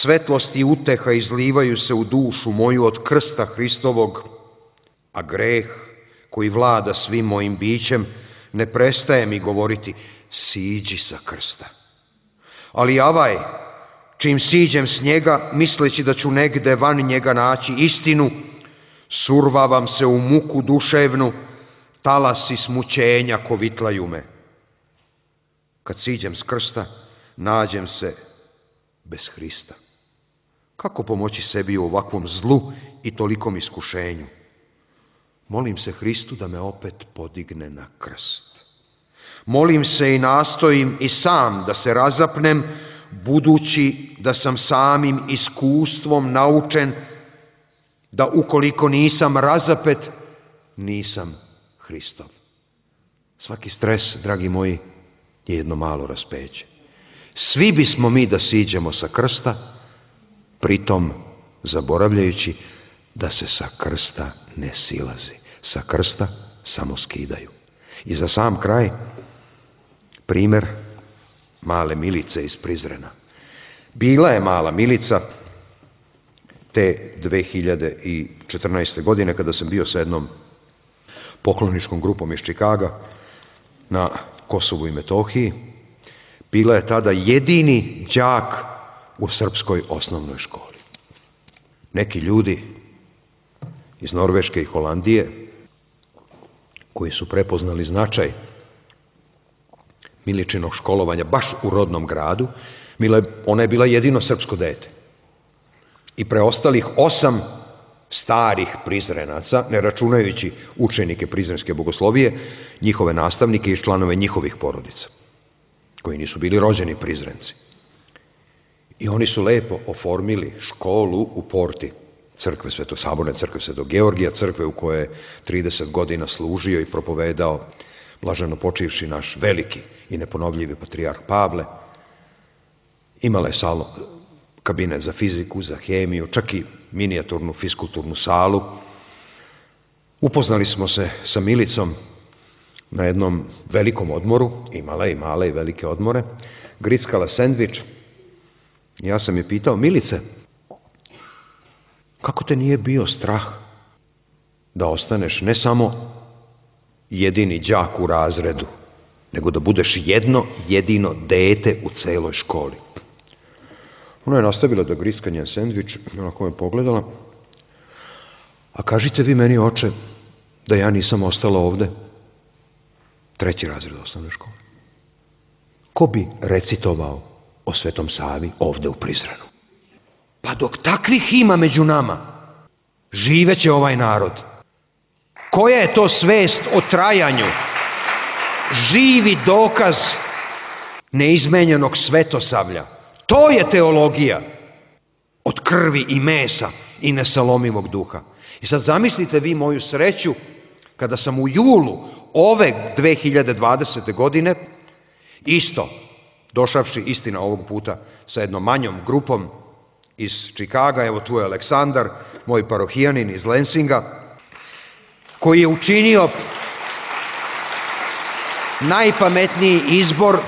svetlost i uteha izlivaju se u dušu moju od krsta Hristovog, a greh koji vlada svim mojim bićem ne prestaje mi govoriti siđi sa krsta. Ali avaj, čim siđem s njega, misleći da ću negde van njega naći istinu, survavam se u muku duševnu, talasi smućenja kovitlaju me. Kad siđem s krsta, nađem se bez Hrista. Kako pomoći sebi u ovakvom zlu i tolikom iskušenju? Molim se Hristu da me opet podigne na krst. Molim se i nastojim i sam da se razapnem, budući da sam samim iskustvom naučen da ukoliko nisam razapet, nisam Hristov. Svaki stres, dragi moji, je jedno malo raspeće. Svi bismo mi da siđemo sa krsta, pritom zaboravljajući da se sa krsta ne silazi. Sa krsta samo skidaju. I za sam kraj, primjer male Milice iz Prizrena. Bila je mala Milica te 2014. godine kada sam bio sa jednom pokloničkom grupom iz Čikaga na Kosovu i Metohiji. Bila je tada jedini đak u srpskoj osnovnoj školi. Neki ljudi iz Norveške i Holandije koji su prepoznali značaj Miličinog školovanja baš u rodnom gradu, ona je bila jedino srpsko dete. I preostalih 8 starih Prizrenaca, ne računajući učenike Prizrenske bogoslovije, njihove nastavnike i članove njihovih porodica, koji nisu bili rođeni Prizrenci. I oni su lepo oformili školu u porti crkve Saborne crkve Svetog Georgija, crkve u kojoj je 30 godina služio i propovedao blaženo počivši naš veliki i neponovljivi patrijarh Pavle. Imala je kabinet za fiziku, za hemiju, čak i minijaturnu fiskulturnu salu. Upoznali smo se sa Milicom na jednom velikom odmoru, imala je i male i velike odmore, grickala sendvič. Ja sam je pitao, Milice, kako te nije bio strah da ostaneš ne samo jedini đak u razredu, nego da budeš jedno jedino dete u celoj školi? Ona je nastavila da griska njen sendvič, onako me pogledala. A kažite vi meni, oče, da ja nisam ostala ovde 3. razred osnovne škole. Ko bi recitovao o Svetom Savi ovde u Prizrenu? Pa dok takvih ima među nama, živeće ovaj narod. Koja je to svest o trajanju? Živi dokaz neizmenjenog svetosavlja. To je teologija od krvi i mesa i nesalomivog duha. I sad zamislite vi moju sreću kada sam u julu ove 2020. godine isto, došavši istina ovog puta sa jednom manjom grupom iz Čikaga, evo tu je Aleksandar, moj parohijanin iz Lensinga, koji je učinio najpametniji izbor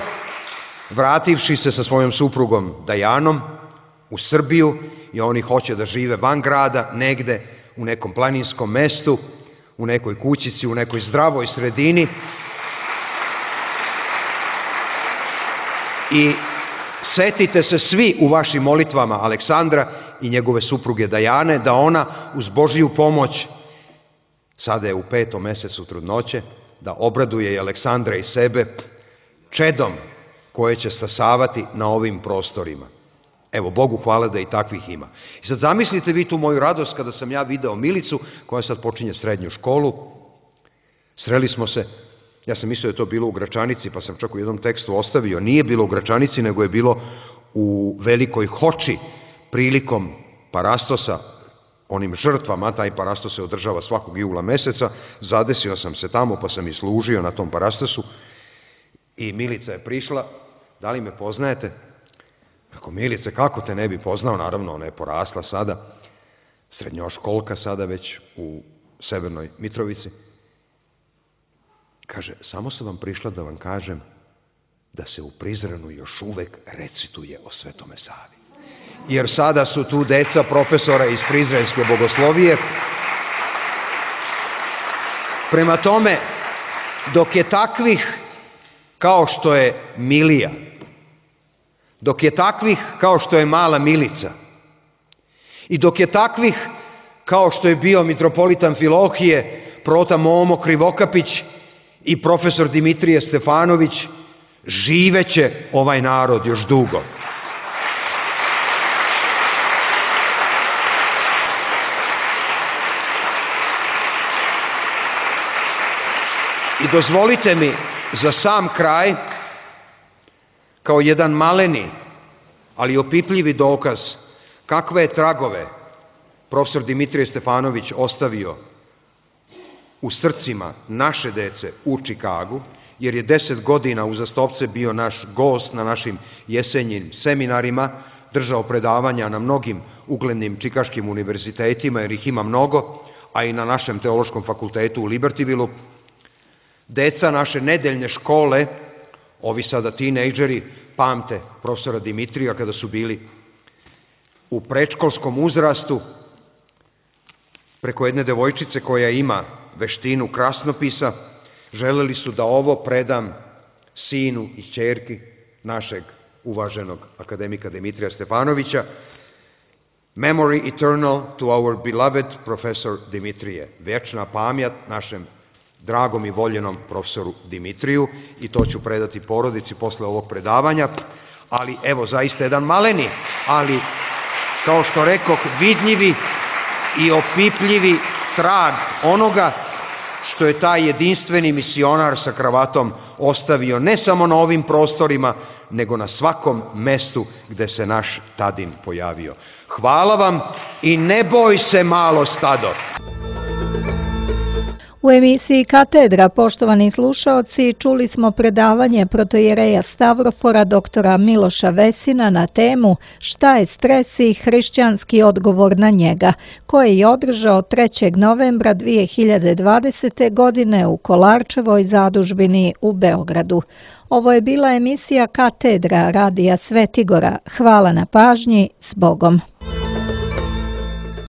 vrativši se sa svojom suprugom Dajanom u Srbiju, i oni hoće da žive van grada, negde u nekom planinskom mestu, u nekoj kućici, u nekoj zdravoj sredini. I setite se svi u vašim molitvama Aleksandra i njegove supruge Dajane, da ona uz Božiju pomoć, sada je u 5. mesecu trudnoće, da obraduje i Aleksandra i sebe čedom koje će stasavati na ovim prostorima. Evo, Bogu hvala da i takvih ima. I sad zamislite vi tu moju radost kada sam ja video Milicu, koja sad počinje srednju školu. Sreli smo se, ja sam mislio da je to bilo u Gračanici, pa sam čak u jednom tekstu ostavio. Nije bilo u Gračanici, nego je bilo u Velikoj Hoči prilikom Parastosa, onim žrtvama. Taj Parastos se održava svakog jula meseca. Zadesio sam se tamo, pa sam i služio na tom Parastosu. I Milica je prišla, da li me poznajete? Ako Milice, kako te ne bi poznao, naravno ona je porasla sada, srednjoškolka sada već u Severnoj Mitrovici. Kaže, samo sam vam prišla da vam kažem da se u Prizrenu još uvek recituje o Svetome Savi. Jer sada su tu deca profesora iz Prizrenske bogoslovije. Prema tome, dok je takvih kao što je Milija, dok je takvih kao što je mala Milica i dok je takvih kao što je bio mitropolita Amfilohije, prota Momo Krivokapić i profesor Dimitrije Stefanović, živeće ovaj narod još dugo. I dozvolite mi za sam kraj, kao jedan maleni, ali opipljivi dokaz kakve je tragove profesor Dimitrije Stefanović ostavio u srcima naše dece u Čikagu, jer je 10 godina uzastopce bio naš gost na našim jesenjim seminarima, držao predavanja na mnogim uglednim čikaškim univerzitetima, jer ih ima mnogo, a i na našem teološkom fakultetu u Libertyvilu. Deca naše nedeljne škole, ovi sada tinejdžeri, pamte profesora Dimitrija kada su bili u predškolskom uzrastu, preko jedne devojčice koja ima veštinu krasnopisa, želeli su da ovo predam sinu i ćerki našeg uvaženog akademika Dimitrija Stefanovića. Memory eternal to our beloved professor Dimitrije. Vječna pamjat našem dragom i voljenom profesoru Dimitriju, i to ću predati porodici posle ovog predavanja. Ali evo, zaista jedan maleni, ali kao što rekoh, vidljivi i opipljivi trag onoga što je taj jedinstveni misionar sa kravatom ostavio ne samo na ovim prostorima, nego na svakom mestu gde se naš Tadin pojavio. Hvala vam i ne boj se, malo stado. U emisiji Katedra, poštovani slušaoci, čuli smo predavanje protoijereja Stavrofora doktora Miloša Vesina na temu Šta je stres i hrišćanski odgovor na njega, koji je održao 3. novembra 2020. godine u Kolarčevoj zadužbini u Beogradu. Ovo je bila emisija Katedra Radija Svetigora. Hvala na pažnji, s Bogom.